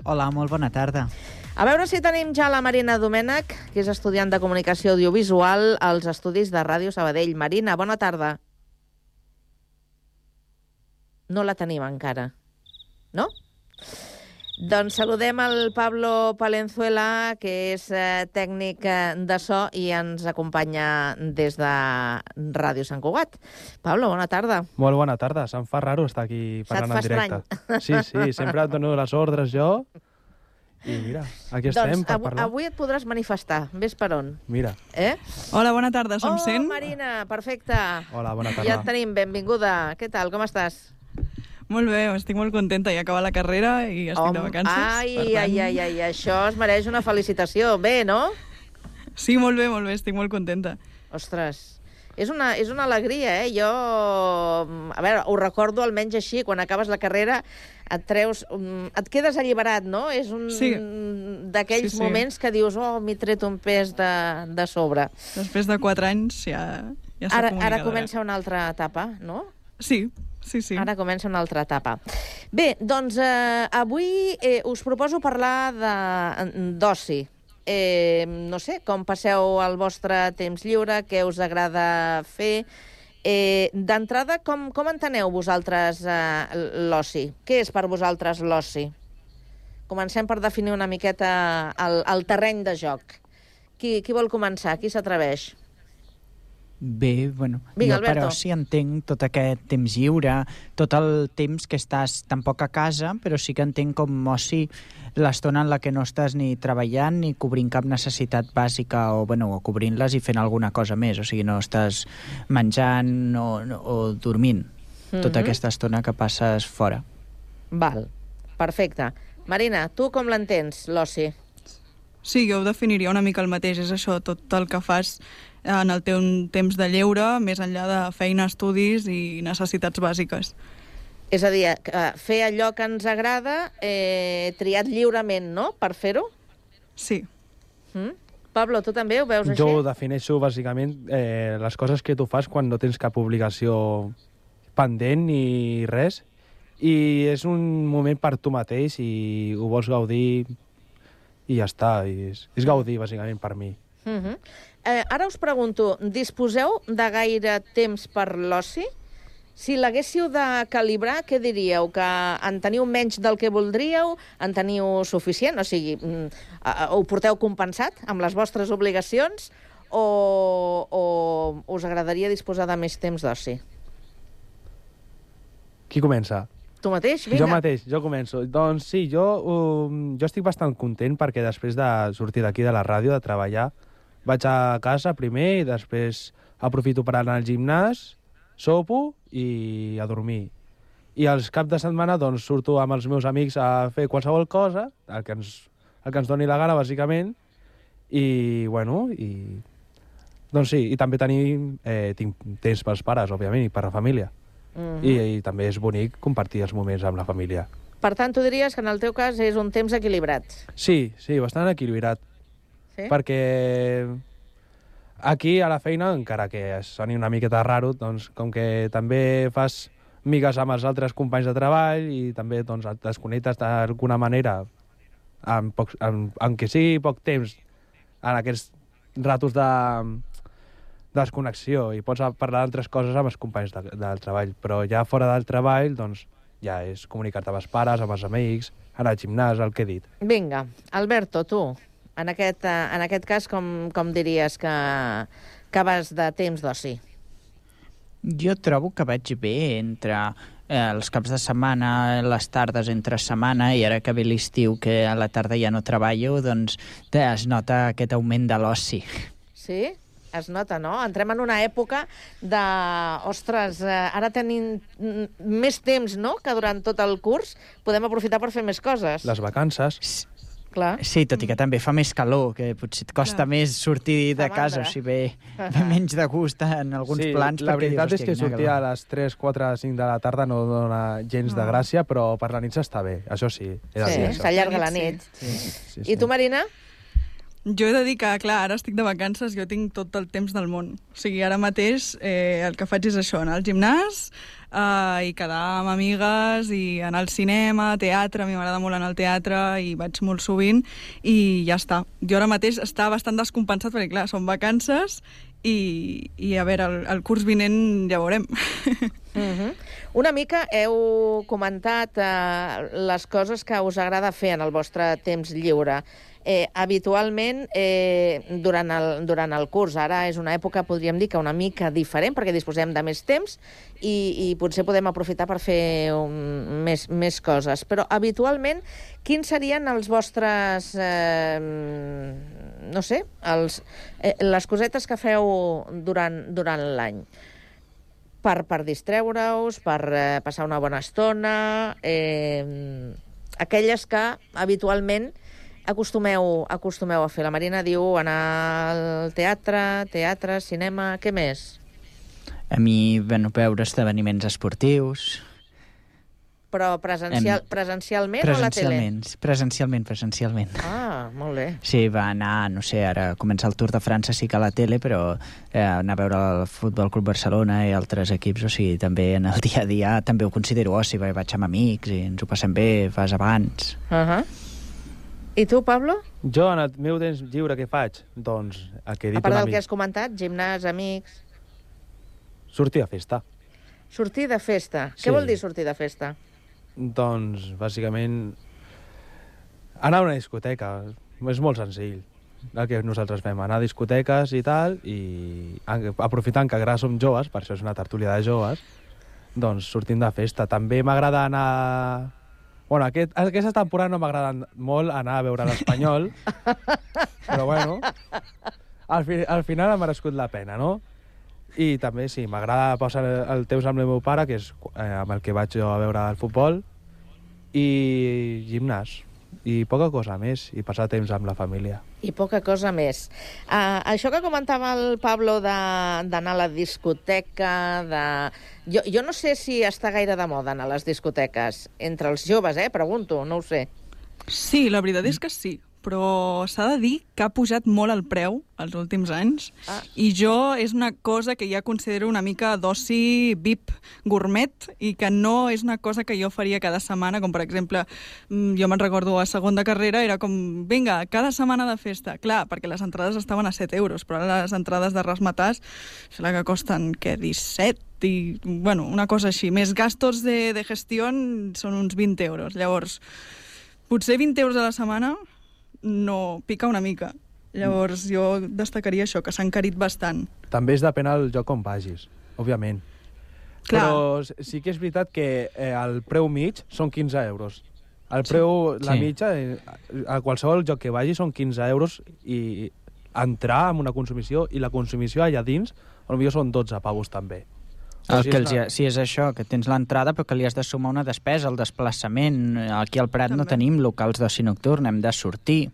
Hola, molt bona tarda. A veure si tenim ja la Marina Domènech, que és estudiant de Comunicació Audiovisual als estudis de Ràdio Sabadell. Marina, bona tarda. No la tenim encara, no? Doncs saludem el Pablo Palenzuela, que és tècnic de so i ens acompanya des de Ràdio Sant Cugat. Pablo, bona tarda. Molt bona tarda. Se'm fa raro estar aquí parlant en directe. Sí, sempre et dono les ordres jo. I mira, aquí estem per parlar. Avui et podràs manifestar. Ves per on. Mira. Hola, bona tarda. Se'm sent? Marina, perfecte. Hola, bona tarda. Ja et tenim, benvinguda. Què tal, com estàs? Molt bé, estic molt contenta. Ja acaba la carrera i estic de vacances. Ai, això es mereix una felicitació. Bé, no? Sí, molt bé, estic molt contenta. Ostres, és una alegria, eh? Jo, a veure, ho recordo almenys així, quan acabes la carrera et treus, et quedes alliberat, no? És un d'aquells moments que dius, m'he tret un pes de sobre. Després de 4 anys ja s'ha comunicat. Ara comença una altra etapa, no? Sí. Ara comença una altra etapa. Bé, doncs avui us proposo parlar d'oci. No sé, com passeu el vostre temps lliure, què us agrada fer. D'entrada, com enteneu vosaltres l'oci? Què és per vosaltres l'oci? Comencem per definir una miqueta el terreny de joc. Qui vol començar? Qui s'atreveix? Bé, bueno, Vinga, jo per Alberto. oci entenc tot aquest temps lliure, tot el temps que estàs tampoc a casa, però sí que entenc com oci l'estona en la que no estàs ni treballant ni cobrint cap necessitat bàsica o cobrint-les i fent alguna cosa més, o sigui, no estàs menjant o dormint tota aquesta estona que passes fora. Val, perfecte. Marina, tu com l'entens, l'oci? Sí, jo ho definiria una mica el mateix. És això, tot el que fas en el teu temps de lleure, més enllà de feina, estudis i necessitats bàsiques. És a dir, fer allò que ens agrada, triat lliurement, no?, per fer-ho? Sí. Pablo, tu també ho veus així? Jo ho defineixo, bàsicament, les coses que tu fas quan no tens cap obligació pendent ni res, i és un moment per tu mateix i ho vols gaudir i ja està. És gaudir, bàsicament, per mi. Ara us pregunto, disposeu de gaire temps per l'oci? Si l'haguéssiu de calibrar, què diríeu? Que en teniu menys del que voldríeu? En teniu suficient? O sigui, ho porteu compensat amb les vostres obligacions? O us agradaria disposar de més temps d'oci? Qui comença? Tu mateix? Vinga. Jo començo. Doncs sí, jo estic bastant content perquè després de sortir d'aquí de la ràdio, de treballar, vaig a casa primer i després aprofito per anar al gimnàs, sopo i a dormir. I els caps de setmana doncs, surto amb els meus amics a fer qualsevol cosa, el que ens doni la gana, bàsicament, i, doncs sí, i també tinc temps pels pares, òbviament, i per la família. I també és bonic compartir els moments amb la família. Per tant, tu diries que en el teu cas és un temps equilibrat? Sí, bastant equilibrat. Sí? Perquè aquí a la feina, encara que soni una miqueta raro, doncs, com que també fas migues amb els altres companys de treball i també doncs, et desconnectes d'alguna manera, en que sigui poc temps, en aquests ratos de desconnexió, i pots parlar d'altres coses amb els companys del treball, però ja fora del treball, doncs, ja és comunicar-te amb els pares, amb els amics, anar al gimnàs, el que he dit. Vinga, Alberto, tu, en aquest cas, com diries que vas de temps d'oci? Jo trobo que vaig bé entre els caps de setmana, les tardes entre setmana, i ara que ve l'estiu, que a la tarda ja no treballo, doncs es nota aquest augment de l'oci. Sí? Es nota, no? Entrem en una època de... Ostres, ara tenim més temps, no?, que durant tot el curs podem aprofitar per fer més coses. Les vacances. Clar. Sí, tot i que també fa més calor, que potser et costa més sortir de casa, o sigui, ve menys de gust en alguns plans. La veritat és que sortir a les 3, 4, 5 de la tarda no dona gens de gràcia, però per la nit s'està bé, això sí. Sí, s'allarga la nit. I tu, Marina? Jo he de dir que, clar, ara estic de vacances, jo tinc tot el temps del món. O sigui, ara mateix el que faig és això, anar al gimnàs i quedar amb amigues i anar al cinema, teatre, a mi m'agrada molt anar al teatre i vaig molt sovint i ja està. Jo ara mateix està bastant descompensat perquè, clar, són vacances i a veure, el curs vinent ja veurem. Una mica heu comentat les coses que us agrada fer en el vostre temps lliure. Habitualment, durant el curs, ara és una època, podríem dir, que una mica diferent, perquè disposem de més temps i potser podem aprofitar per fer més coses. Però habitualment, quins serien els vostres, no sé, les cosetes que feu durant l'any? Per distreure-us, per passar una bona estona, aquelles que habitualment acostumeu a fer. La Marina diu anar al teatre, cinema, què més? A mi, veure esdeveniments esportius. Però presencialment o a la tele? Presencialment. Ah, molt bé. Sí, va anar, no sé, ara comença el Tour de França, sí que a la tele, però anar a veure el Futbol Club Barcelona i altres equips, o sigui, també en el dia a dia també ho considero oci, vaig amb amics i ens ho passem bé, fas abans. I tu, Pablo? Jo, en el meu temps lliure, què faig? Doncs, el que he dit a part del que has comentat, gimnàs, amics... Sortir a festa. Sortir de festa? Sí. Què vol dir sortir de festa? Doncs, bàsicament, anar a una discoteca. És molt senzill. El que nosaltres fem, anar a discoteques i tal, i aprofitant que encara som joves, per això és una tertúlia de joves, doncs sortim de festa. També m'agrada anar... Bueno, aquesta temporada no m'agrada molt anar a veure l'Espanyol, però bueno, al final ha merescut la pena, no? I també, sí, m'agrada passar el temps amb el meu pare, que és amb el que vaig jo a veure el futbol, i gimnàs, i poca cosa més, i passar temps amb la família. I poca cosa més. Això que comentava el Pablo d'anar a la discoteca, Jo no sé si està gaire de moda anar a les discoteques. Entre els joves, pregunto, no ho sé. Sí, la veritat és que sí, però s'ha de dir que ha pujat molt el preu els últims anys i jo és una cosa que ja considero una mica d'oci VIP gourmet i que no és una cosa que jo faria cada setmana, com per exemple, jo me'n recordo a segon de carrera, era com, vinga, cada setmana de festa. Clar, perquè les entrades estaven a 7 euros, però ara les entrades de Razzmatazz, sembla que costen, 17 i, bueno, una cosa així. Més gastos de gestió són uns 20 euros. Llavors, potser 20 euros a la setmana no pica una mica. Llavors jo destacaria això, que s'ha encarit bastant. També és depèn del lloc on vagis, òbviament. Clar. Però sí que és veritat que el preu mig són 15 euros. El preu, la mitja, a qualsevol lloc que vagis són 15 euros i entrar amb una consumició, i la consumició allà dins, potser són 12 pavos també. Sí, és això, que tens l'entrada però que li has de sumar una despesa, el desplaçament. Aquí al Prat no tenim locals d'oci nocturn, hem de sortir.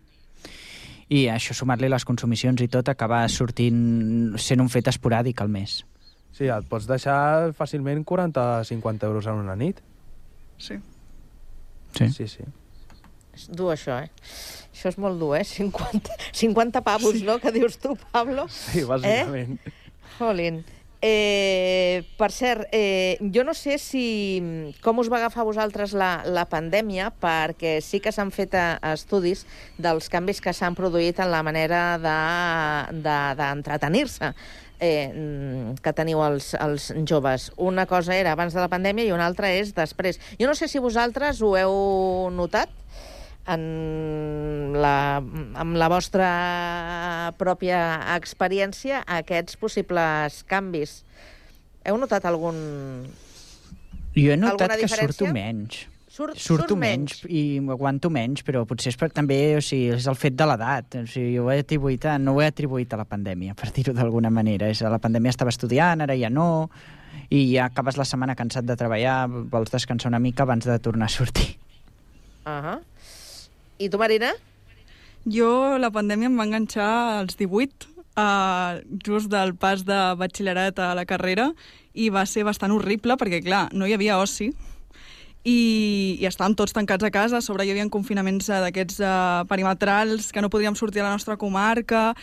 I això, sumar-li les consumicions i tot, acaba sortint sent un fet esporàdic al mes. Sí, et pots deixar fàcilment 40-50 euros en una nit. Sí. Sí. És dur, això, Això és molt dur, 50 pavos, no?, que dius tu, Pablo. Sí, bàsicament. Jolín. Per cert, jo no sé com us va agafar a vosaltres la pandèmia, perquè sí que s'han fet estudis dels canvis que s'han produït en la manera d'entretenir-se que teniu els joves. Una cosa era abans de la pandèmia i una altra és després. Jo no sé si vosaltres ho heu notat amb la vostra pròpia experiència, aquests possibles canvis. Heu notat algun... Jo he notat que surto menys. Surto menys i aguanto menys, però potser és també, o sigui, és el fet de l'edat. O sigui, no ho he atribuït a la pandèmia, per dir-ho d'alguna manera. La pandèmia estava estudiant, ara ja no, i ja acabes la setmana cansat de treballar, vols descansar una mica abans de tornar a sortir. I tu, Marina? Jo, la pandèmia em va enganxar als 18, just del pas de batxillerat a la carrera, i va ser bastant horrible, perquè, clar, no hi havia oci, i estàvem tots tancats a casa. A sobre hi havia confinaments d'aquests perimetrals, que no podíem sortir a la nostra comarca.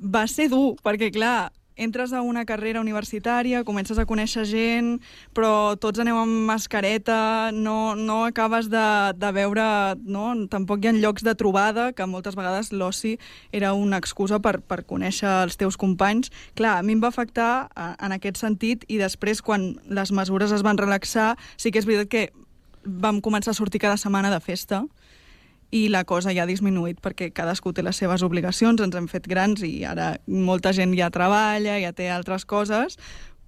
Va ser dur, perquè, clar, entres a una carrera universitària, comences a conèixer gent, però tots aneu amb mascareta, no acabes de veure... No? Tampoc hi ha llocs de trobada, que moltes vegades l'oci era una excusa per conèixer els teus companys. Clar, a mi em va afectar en aquest sentit, i després, quan les mesures es van relaxar, sí que és veritat que vam començar a sortir cada setmana de festa, i la cosa ja ha disminuït perquè cadascú té les seves obligacions, ens hem fet grans i ara molta gent ja treballa, ja té altres coses,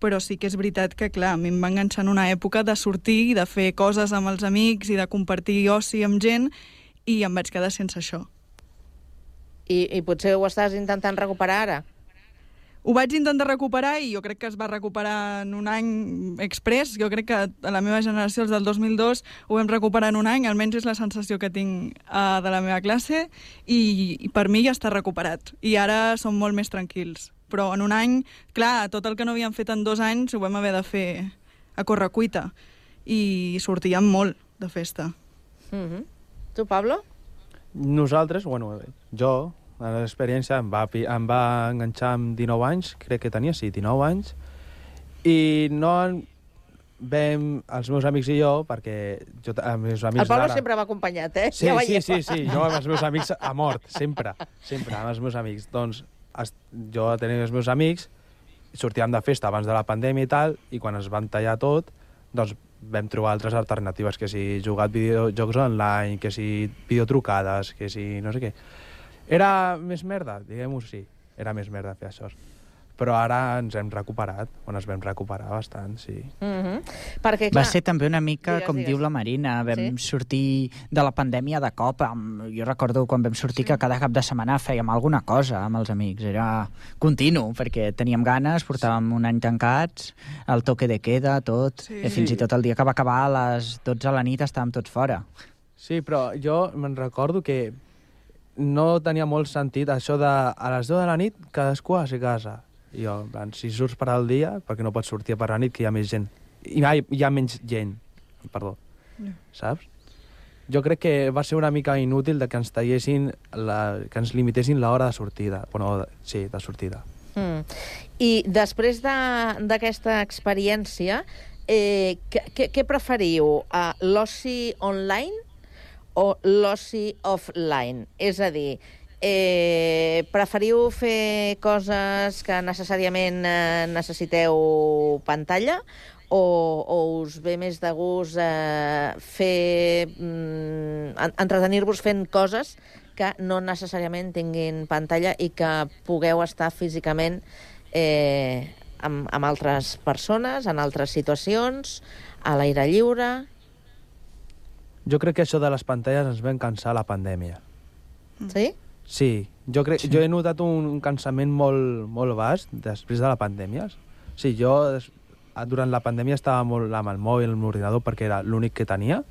però sí que és veritat que, clar, a mi em va enganxar en una època de sortir i de fer coses amb els amics i de compartir oci amb gent, i em vaig quedar sense això. I potser ho estàs intentant recuperar ara? Ho vaig intentar recuperar i jo crec que es va recuperar en un any express. Jo crec que a la meva generació, els del 2002, ho vam recuperar en un any, almenys és la sensació que tinc de la meva classe, i per mi ja està recuperat. I ara som molt més tranquils. Però en un any, clar, tot el que no havíem fet en 2 anys ho vam haver de fer a correcuita. I sortíem molt de festa. Tu, Pablo? Nosaltres, jo... L'experiència em va enganxar amb 19 anys, crec que tenia, 19 anys, i no vam, els meus amics i jo, perquè els meus amics... El Pablo sempre va acompanyat, eh? Sí, jo amb els meus amics a mort, sempre amb els meus amics. Doncs jo tenia els meus amics, sortíem de festa abans de la pandèmia i tal, i quan es van tallar tot, doncs vam trobar altres alternatives, que si jugar a videojocs online, que si videotrucades, que si no sé què. Era més merda, diguem-ho així. Era més merda fer això. Però ara ens hem recuperat, ens vam recuperar bastant, sí. Perquè, clar... Va ser també una mica, com diu la Marina, vam sortir de la pandèmia de cop. Jo recordo quan vam sortir que cada cap de setmana fèiem alguna cosa amb els amics. Era continu, perquè teníem ganes, portàvem un any tancats, el toque de queda, tot, i fins i tot el dia que va acabar a les 12 de la nit estàvem tots fora. Sí, però jo me'n recordo que no tenia molt sentit això de a les 10 de la nit cadascú a casa. I jo, en plan, si surts per al dia, perquè no pots sortir per la nit, que hi ha més gent. Hi ha menys gent, perdó. Saps? Jo crec que va ser una mica inútil de que ens tallessin, que ens limitessin l'hora de sortida. Sí, de sortida. I després d'aquesta experiència, què preferiu? L'oci online o l'oci offline? És a dir, preferiu fer coses que necessàriament necessiteu pantalla o us ve més de gust entretenir-vos fent coses que no necessàriament tinguin pantalla i que pugueu estar físicament amb altres persones, en altres situacions, a l'aire lliure? Jo crec que això de les pantalles ens vam cansar a la pandèmia. Sí? Sí. Jo he notat un cansament molt vast després de la pandèmia. Sí, jo durant la pandèmia estava molt amb el mòbil, amb l'ordinador, perquè era l'únic que tenia.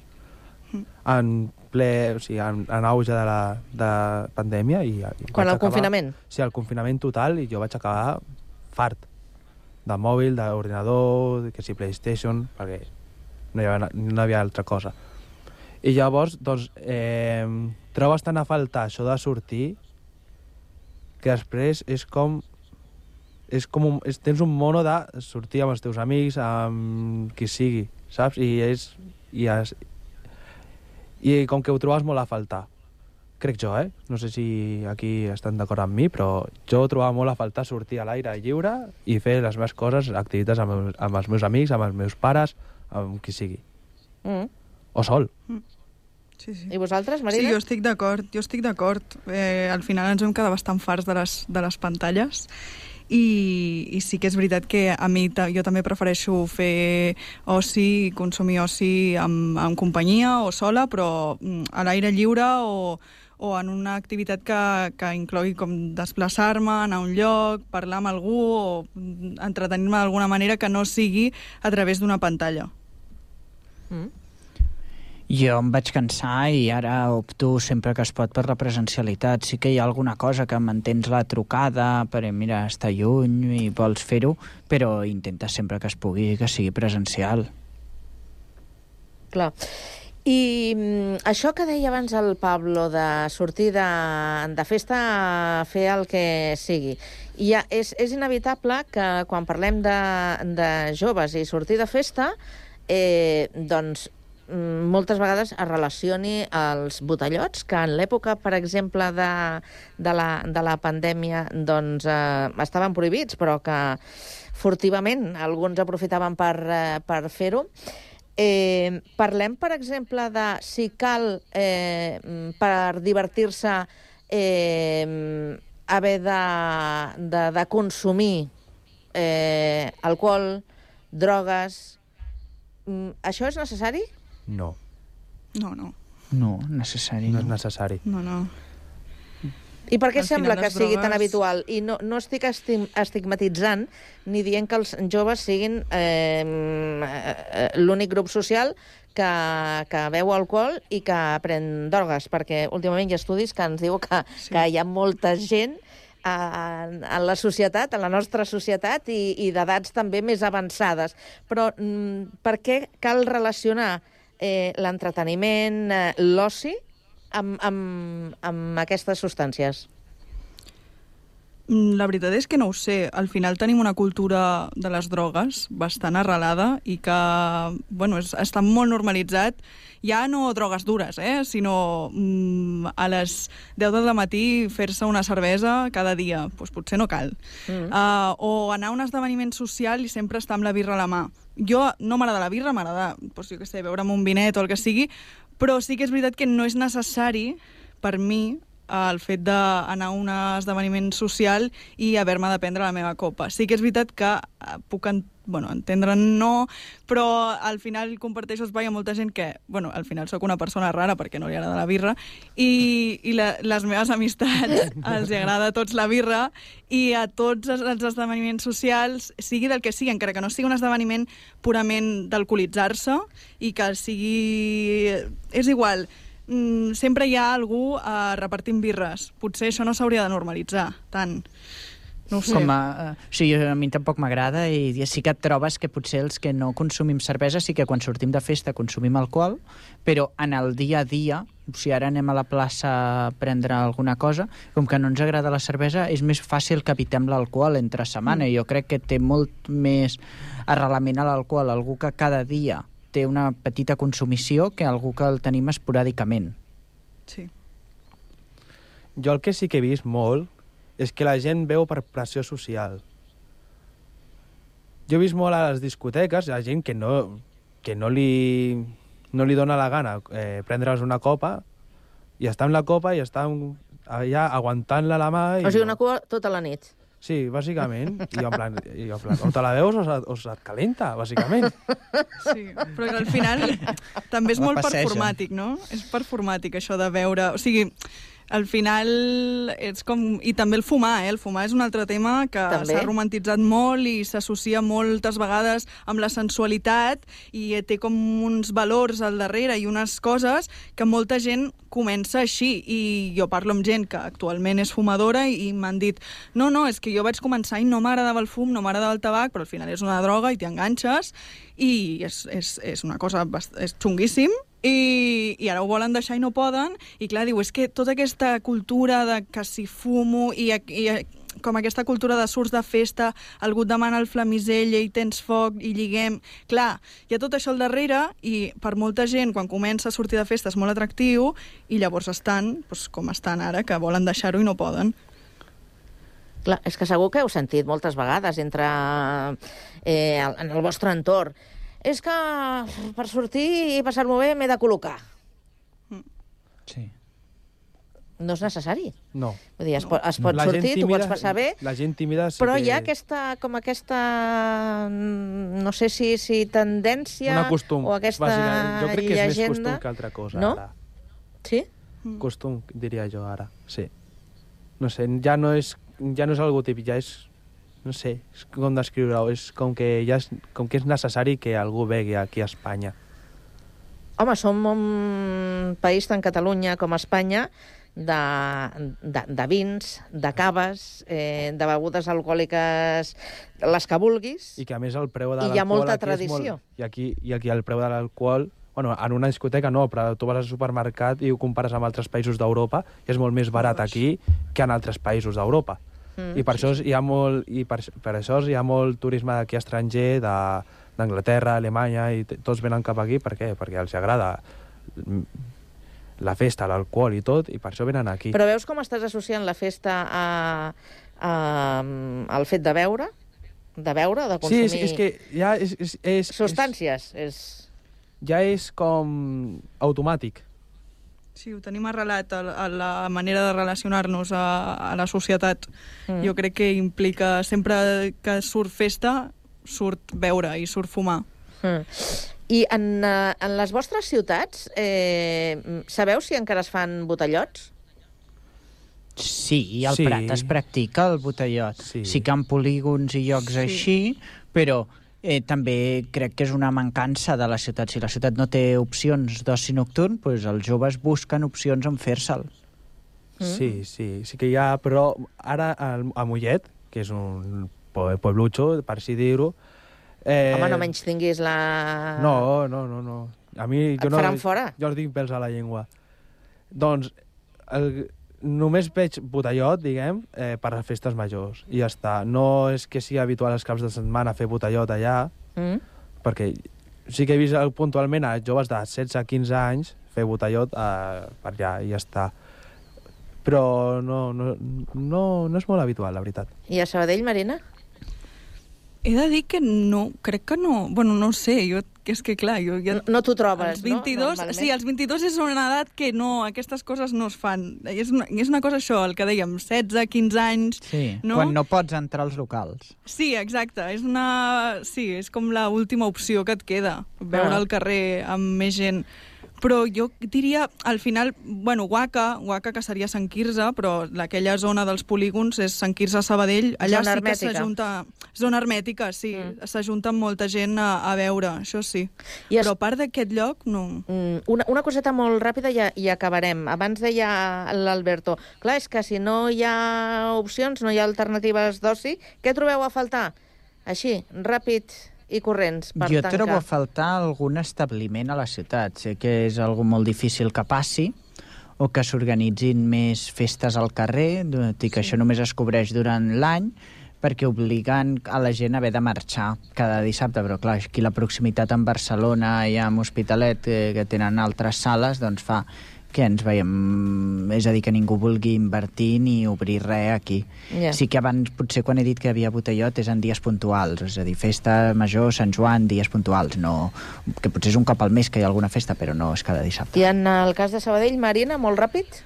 En auge de la pandèmia. Quan el confinament? Sí, el confinament total, i jo vaig acabar fart de mòbil, d'ordinador, que si PlayStation, perquè no hi havia altra cosa. I llavors, doncs, trobes tant a faltar això de sortir que després tens un mono de sortir amb els teus amics, amb qui sigui, saps? I com que ho trobes molt a faltar. Crec jo, No sé si aquí estan d'acord amb mi, però jo ho trobava molt a faltar sortir a l'aire lliure i fer les meves coses, activitats amb els meus amics, amb els meus pares, amb qui sigui. O sol. Sí. I vosaltres, Marina? Sí, jo estic d'acord. Al final ens vam quedar bastant farts de les pantalles i sí que és veritat que a mi jo també prefereixo fer oci, consumir oci amb companyia o sola, però a l'aire lliure o en una activitat que inclogui com desplaçar-me, anar a un lloc, parlar amb algú o entretenir-me d'alguna manera que no sigui a través d'una pantalla. Jo em vaig cansar i ara opto sempre que es pot per la presencialitat. Sí que hi ha alguna cosa que mantens la trucada, perquè mira, està lluny i vols fer-ho, però intenta sempre que es pugui que sigui presencial. Clar. I això que deia abans el Pablo, de sortir de festa a fer el que sigui, és inevitable que quan parlem de joves i sortir de festa, doncs moltes vegades es relacioni als botellots, que en l'època, per exemple, de la pandèmia, doncs estaven prohibits, però que furtivament alguns aprofitaven per fer-ho. Parlem, per exemple, de si cal, per divertir-se, haver de consumir alcohol, drogues. Això és necessari? No. No, necessari. No és necessari. No. I per què Al sembla final que les sigui tan drogues- habitual? I no estic estigmatitzant ni dient que els joves siguin l'únic grup social que beu alcohol i que pren drogues, perquè últimament hi ha estudis que ens diu que hi ha molta gent en la societat, en la nostra societat, i d'edats també més avançades. Però per què cal relacionar l'entreteniment, l'oci, amb aquestes substàncies? La veritat és que no ho sé. Al final tenim una cultura de les drogues bastant arrelada i que, bueno, està molt normalitzat. Ja no drogues dures, sinó a les 10 del matí fer-se una cervesa cada dia. Doncs potser no cal. O anar a un esdeveniment social i sempre estar amb la birra a la mà. Jo no m'agrada la birra, m'agrada, doncs, jo què sé, beure'm un vinet o el que sigui, però sí que és veritat que no és necessari, per mi, el fet d'anar a un esdeveniment social i haver-me de prendre la meva copa. Sí que és veritat que puc entendre'n no, però al final comparteixo espai amb molta gent que, al final sóc una persona rara perquè no li agrada la birra i les meves amistats els agrada a tots la birra i a tots els esdeveniments socials, sigui del que sigui, encara que no sigui un esdeveniment purament d'alcoholitzar-se i que sigui... És igual, sempre hi ha algú repartint birres. Potser això no s'hauria de normalitzar tant. No ho sé. Sí, a mi tampoc m'agrada i sí que et trobes que potser els que no consumim cervesa sí que quan sortim de festa consumim alcohol, però en el dia a dia, si ara anem a la plaça a prendre alguna cosa, com que no ens agrada la cervesa, és més fàcil que evitem l'alcohol entre setmana. Jo crec que té molt més arrelament a l'alcohol algú que cada dia té una petita consumició que algú que el tenim esporàdicament. Sí. Jo el que sí que he vist molt és que la gent veu per pressió social. Jo he vist molt a les discoteques, la gent que no li dona la gana prendre's una copa i està amb la copa i està allà aguantant-la a la mà. O sigui, una cua tota la nit. Sí, bàsicament. I en plan, o te la veus o se't calenta, bàsicament. Sí, però al final també és molt performàtic, no? És performàtic, això de veure... O sigui, al final és com... I també el fumar, El fumar és un altre tema que s'ha romantitzat molt i s'associa moltes vegades amb la sensualitat i té com uns valors al darrere i unes coses que molta gent comença així. I jo parlo amb gent que actualment és fumadora i m'han dit no, és que jo vaig començar i no m'agradava el fum, no m'agradava el tabac, però al final és una droga i t'hi enganxes i és una cosa... és xunguíssim. I ara ho volen deixar i no poden, i clar, diu, és que tota aquesta cultura de que si fumo i com aquesta cultura de surts de festa, algú et demana el flamisell i tens foc i lliguem... Clar, hi ha tot això al darrere i per molta gent, quan comença a sortir de festa, és molt atractiu i llavors estan com estan ara, que volen deixar-ho i no poden. Clar, és que segur que heu sentit moltes vegades en el vostre entorn. És que per sortir i passar-m'ho bé m'he de col·locar. Sí. No és necessari. No. Vull dir, es pot sortir, t'ho pots passar bé, la gent tímida sí però que... hi ha aquesta, no sé si tendència... Una costum, o aquesta bàsicament. Jo crec que és més llegenda. costum que altra cosa, no? ara. Sí? Costum, diria jo, ara. Sí. No sé, ja no és algo típic, ja és... No sé, és com descriure-ho, és com que és necessari que algú begui aquí a Espanya. Home, som un país tant Catalunya com Espanya de vins, de caves, de begudes alcohòliques, les que vulguis. I que a més el preu de l'alcohol... I hi ha molta tradició. I aquí el preu de l'alcohol Bueno, en una discoteca no, però tu vas al supermercat i ho compares amb altres països d'Europa i és molt més barat aquí que en altres països d'Europa. I per això hi ha molt turisme d'aquí estranger, d'Anglaterra, Alemanya, i tots venen cap aquí. Per què? Perquè els agrada la festa, l'alcohol i tot, i per això venen aquí. Però veus com estàs associant la festa al fet de beure? De beure, de consumir... Sí, és que ja és substàncies, ja és com automàtic. Sí, ho tenim arrelat a la manera de relacionar-nos a la societat. Jo crec que implica sempre que surt festa, surt beure i surt fumar. I en les vostres ciutats, sabeu si encara es fan botellots? Sí, al Prat es practica el botellot. Sí que en polígons i llocs així, però també crec que és una mancança de la ciutat. Si la ciutat no té opcions d'oci nocturn, doncs els joves busquen opcions en fer-se'l. Sí que hi ha, però ara a Mollet, que és un pueblucho, per així dir-ho... Home, no menys tinguis la... No. A mi, et faran fora? Jo els dic pèls a la llengua. Doncs només veig botellot, diguem, per a festes majors, i ja està. No és que sigui habitual els caps de setmana fer botellot allà, perquè sí que he vist puntualment a joves de 16-15 anys fer botellot per allà, i ja està. Però no és molt habitual, la veritat. I a Sabadell, Marina? He de dir que no, crec que no. Bueno, no sé, és que clar... No t'ho trobes, els 22, no? Sí, els 22 és una edat que no, aquestes coses no es fan. És una cosa això, el que dèiem, 16, 15 anys... Sí, no? Quan no pots entrar als locals. Sí, exacte. És com l'última opció que et queda, veure al carrer amb més gent. Però jo diria, al final, bueno, Waka, que seria Sant Quirze, però aquella zona dels polígons és Sant Quirze, Sabadell, allà zona sí que hermètica. s'ajunta... Zona hermètica, sí, s'ajunta molta gent a veure, això sí. Però a part d'aquest lloc, no. Una coseta molt ràpida i acabarem. Abans deia l'Alberto, clar, és que si no hi ha opcions, no hi ha alternatives d'oci, què trobeu a faltar? Així, ràpid i corrents per tancar. Jo trobo a faltar algun establiment a la ciutat. Sé que és algo molt difícil que passi, o que s'organitzin més festes al carrer, tot i que això només es cobreix durant l'any, perquè obliguen a la gent a haver de marxar cada dissabte, però clar, aquí la proximitat amb Barcelona i amb Hospitalet, que tenen altres sales, doncs fa que ens veiem... És a dir, que ningú vulgui invertir ni obrir res aquí. Sí que abans, potser quan he dit que hi havia botellot, és en dies puntuals, és a dir, festa major, Sant Joan, dies puntuals, no... que potser és un cop al mes que hi ha alguna festa, però no és cada dissabte. I en el cas de Sabadell, Marina, molt ràpid?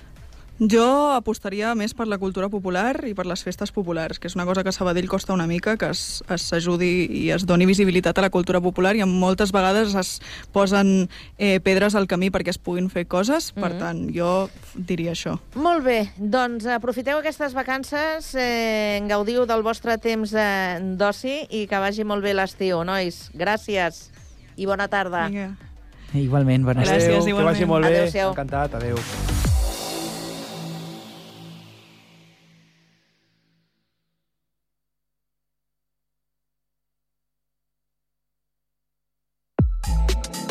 Jo apostaria més per la cultura popular i per les festes populars, que és una cosa que a Sabadell costa una mica, que s'ajudi i es doni visibilitat a la cultura popular, i moltes vegades es posen pedres al camí perquè es puguin fer coses, per tant, jo diria això. Molt bé, doncs aprofiteu aquestes vacances, gaudiu del vostre temps d'oci i que vagi molt bé l'estiu, nois. Gràcies i bona tarda. Vinga. Igualment, bona tarda. Gràcies, igualment. Que vagi molt bé. Adéu-siau. Encantat, adéu.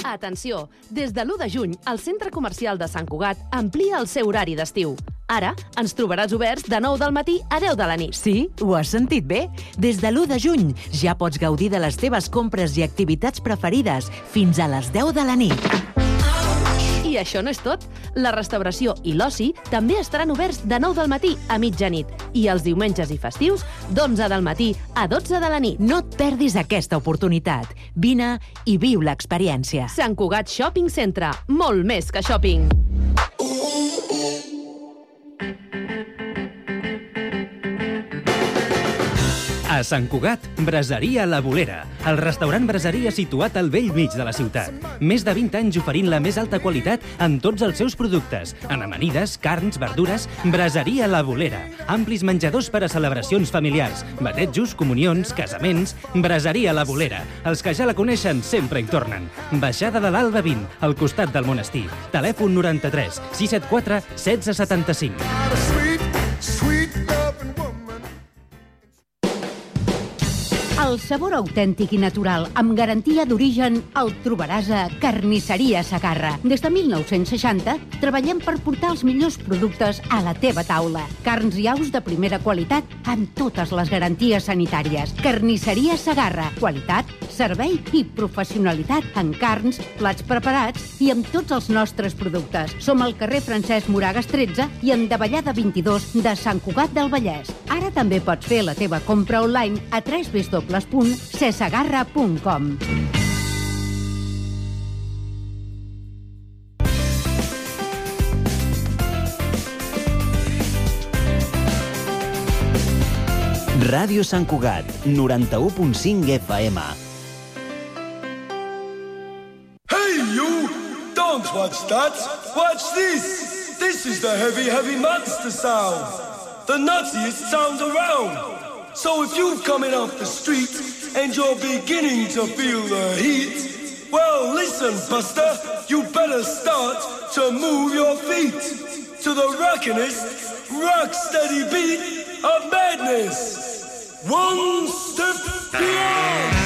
Atenció! Des de l'1 de juny, el Centre Comercial de Sant Cugat amplia el seu horari d'estiu. Ara ens trobaràs oberts de 9 del matí a 10 de la nit. Sí, ho has sentit bé? Des de l'1 de juny ja pots gaudir de les teves compres i activitats preferides fins a les 10 de la nit. I això no és tot. La restauració i l'oci també estaran oberts de 9 del matí a mitjanit i els diumenges i festius d'11 del matí a 12 de la nit. No et perdis aquesta oportunitat. Vine i viu l'experiència. Sant Cugat Shopping Centre. Molt més que shopping. A Sant Cugat, Braseria La Bolera, el restaurant braseria situat al bell mig de la ciutat. Més de 20 anys oferint la més alta qualitat en tots els seus productes. En amanides, carns, verdures, Braseria La Bolera. Amplis menjadors per a celebracions familiars, batejos, comunions, casaments... Braseria La Bolera. Els que ja la coneixen sempre hi tornen. Baixada de l'Alba 20, al costat del monestir. Telèfon 93 674 1675. Els sabor autèntic i natural, amb garantia d'origen, el trobaràs a Carnisseria Segarra. Des de 1960 treballem per portar els millors productes a la teva taula. Carns i aus de primera qualitat amb totes les garanties sanitàries. Carnisseria Segarra. Qualitat, servei i professionalitat en carns, plats preparats i amb tots els nostres productes. Som al carrer Francesc Moragas 13 i en Davallada 22 de Sant Cugat del Vallès. Ara també pots fer la teva compra online a www.cesegarra.com. Ràdio Sant Cugat, 91.5 FM. Hey, you! Don't watch that! Watch this! This is the heavy, heavy monster sound. The nuttiest sound around. So if you've coming off the street and you're beginning to feel the heat, well, listen, Buster, you better start to move your feet to the rockinest, rock-steady beat of madness. One step beyond.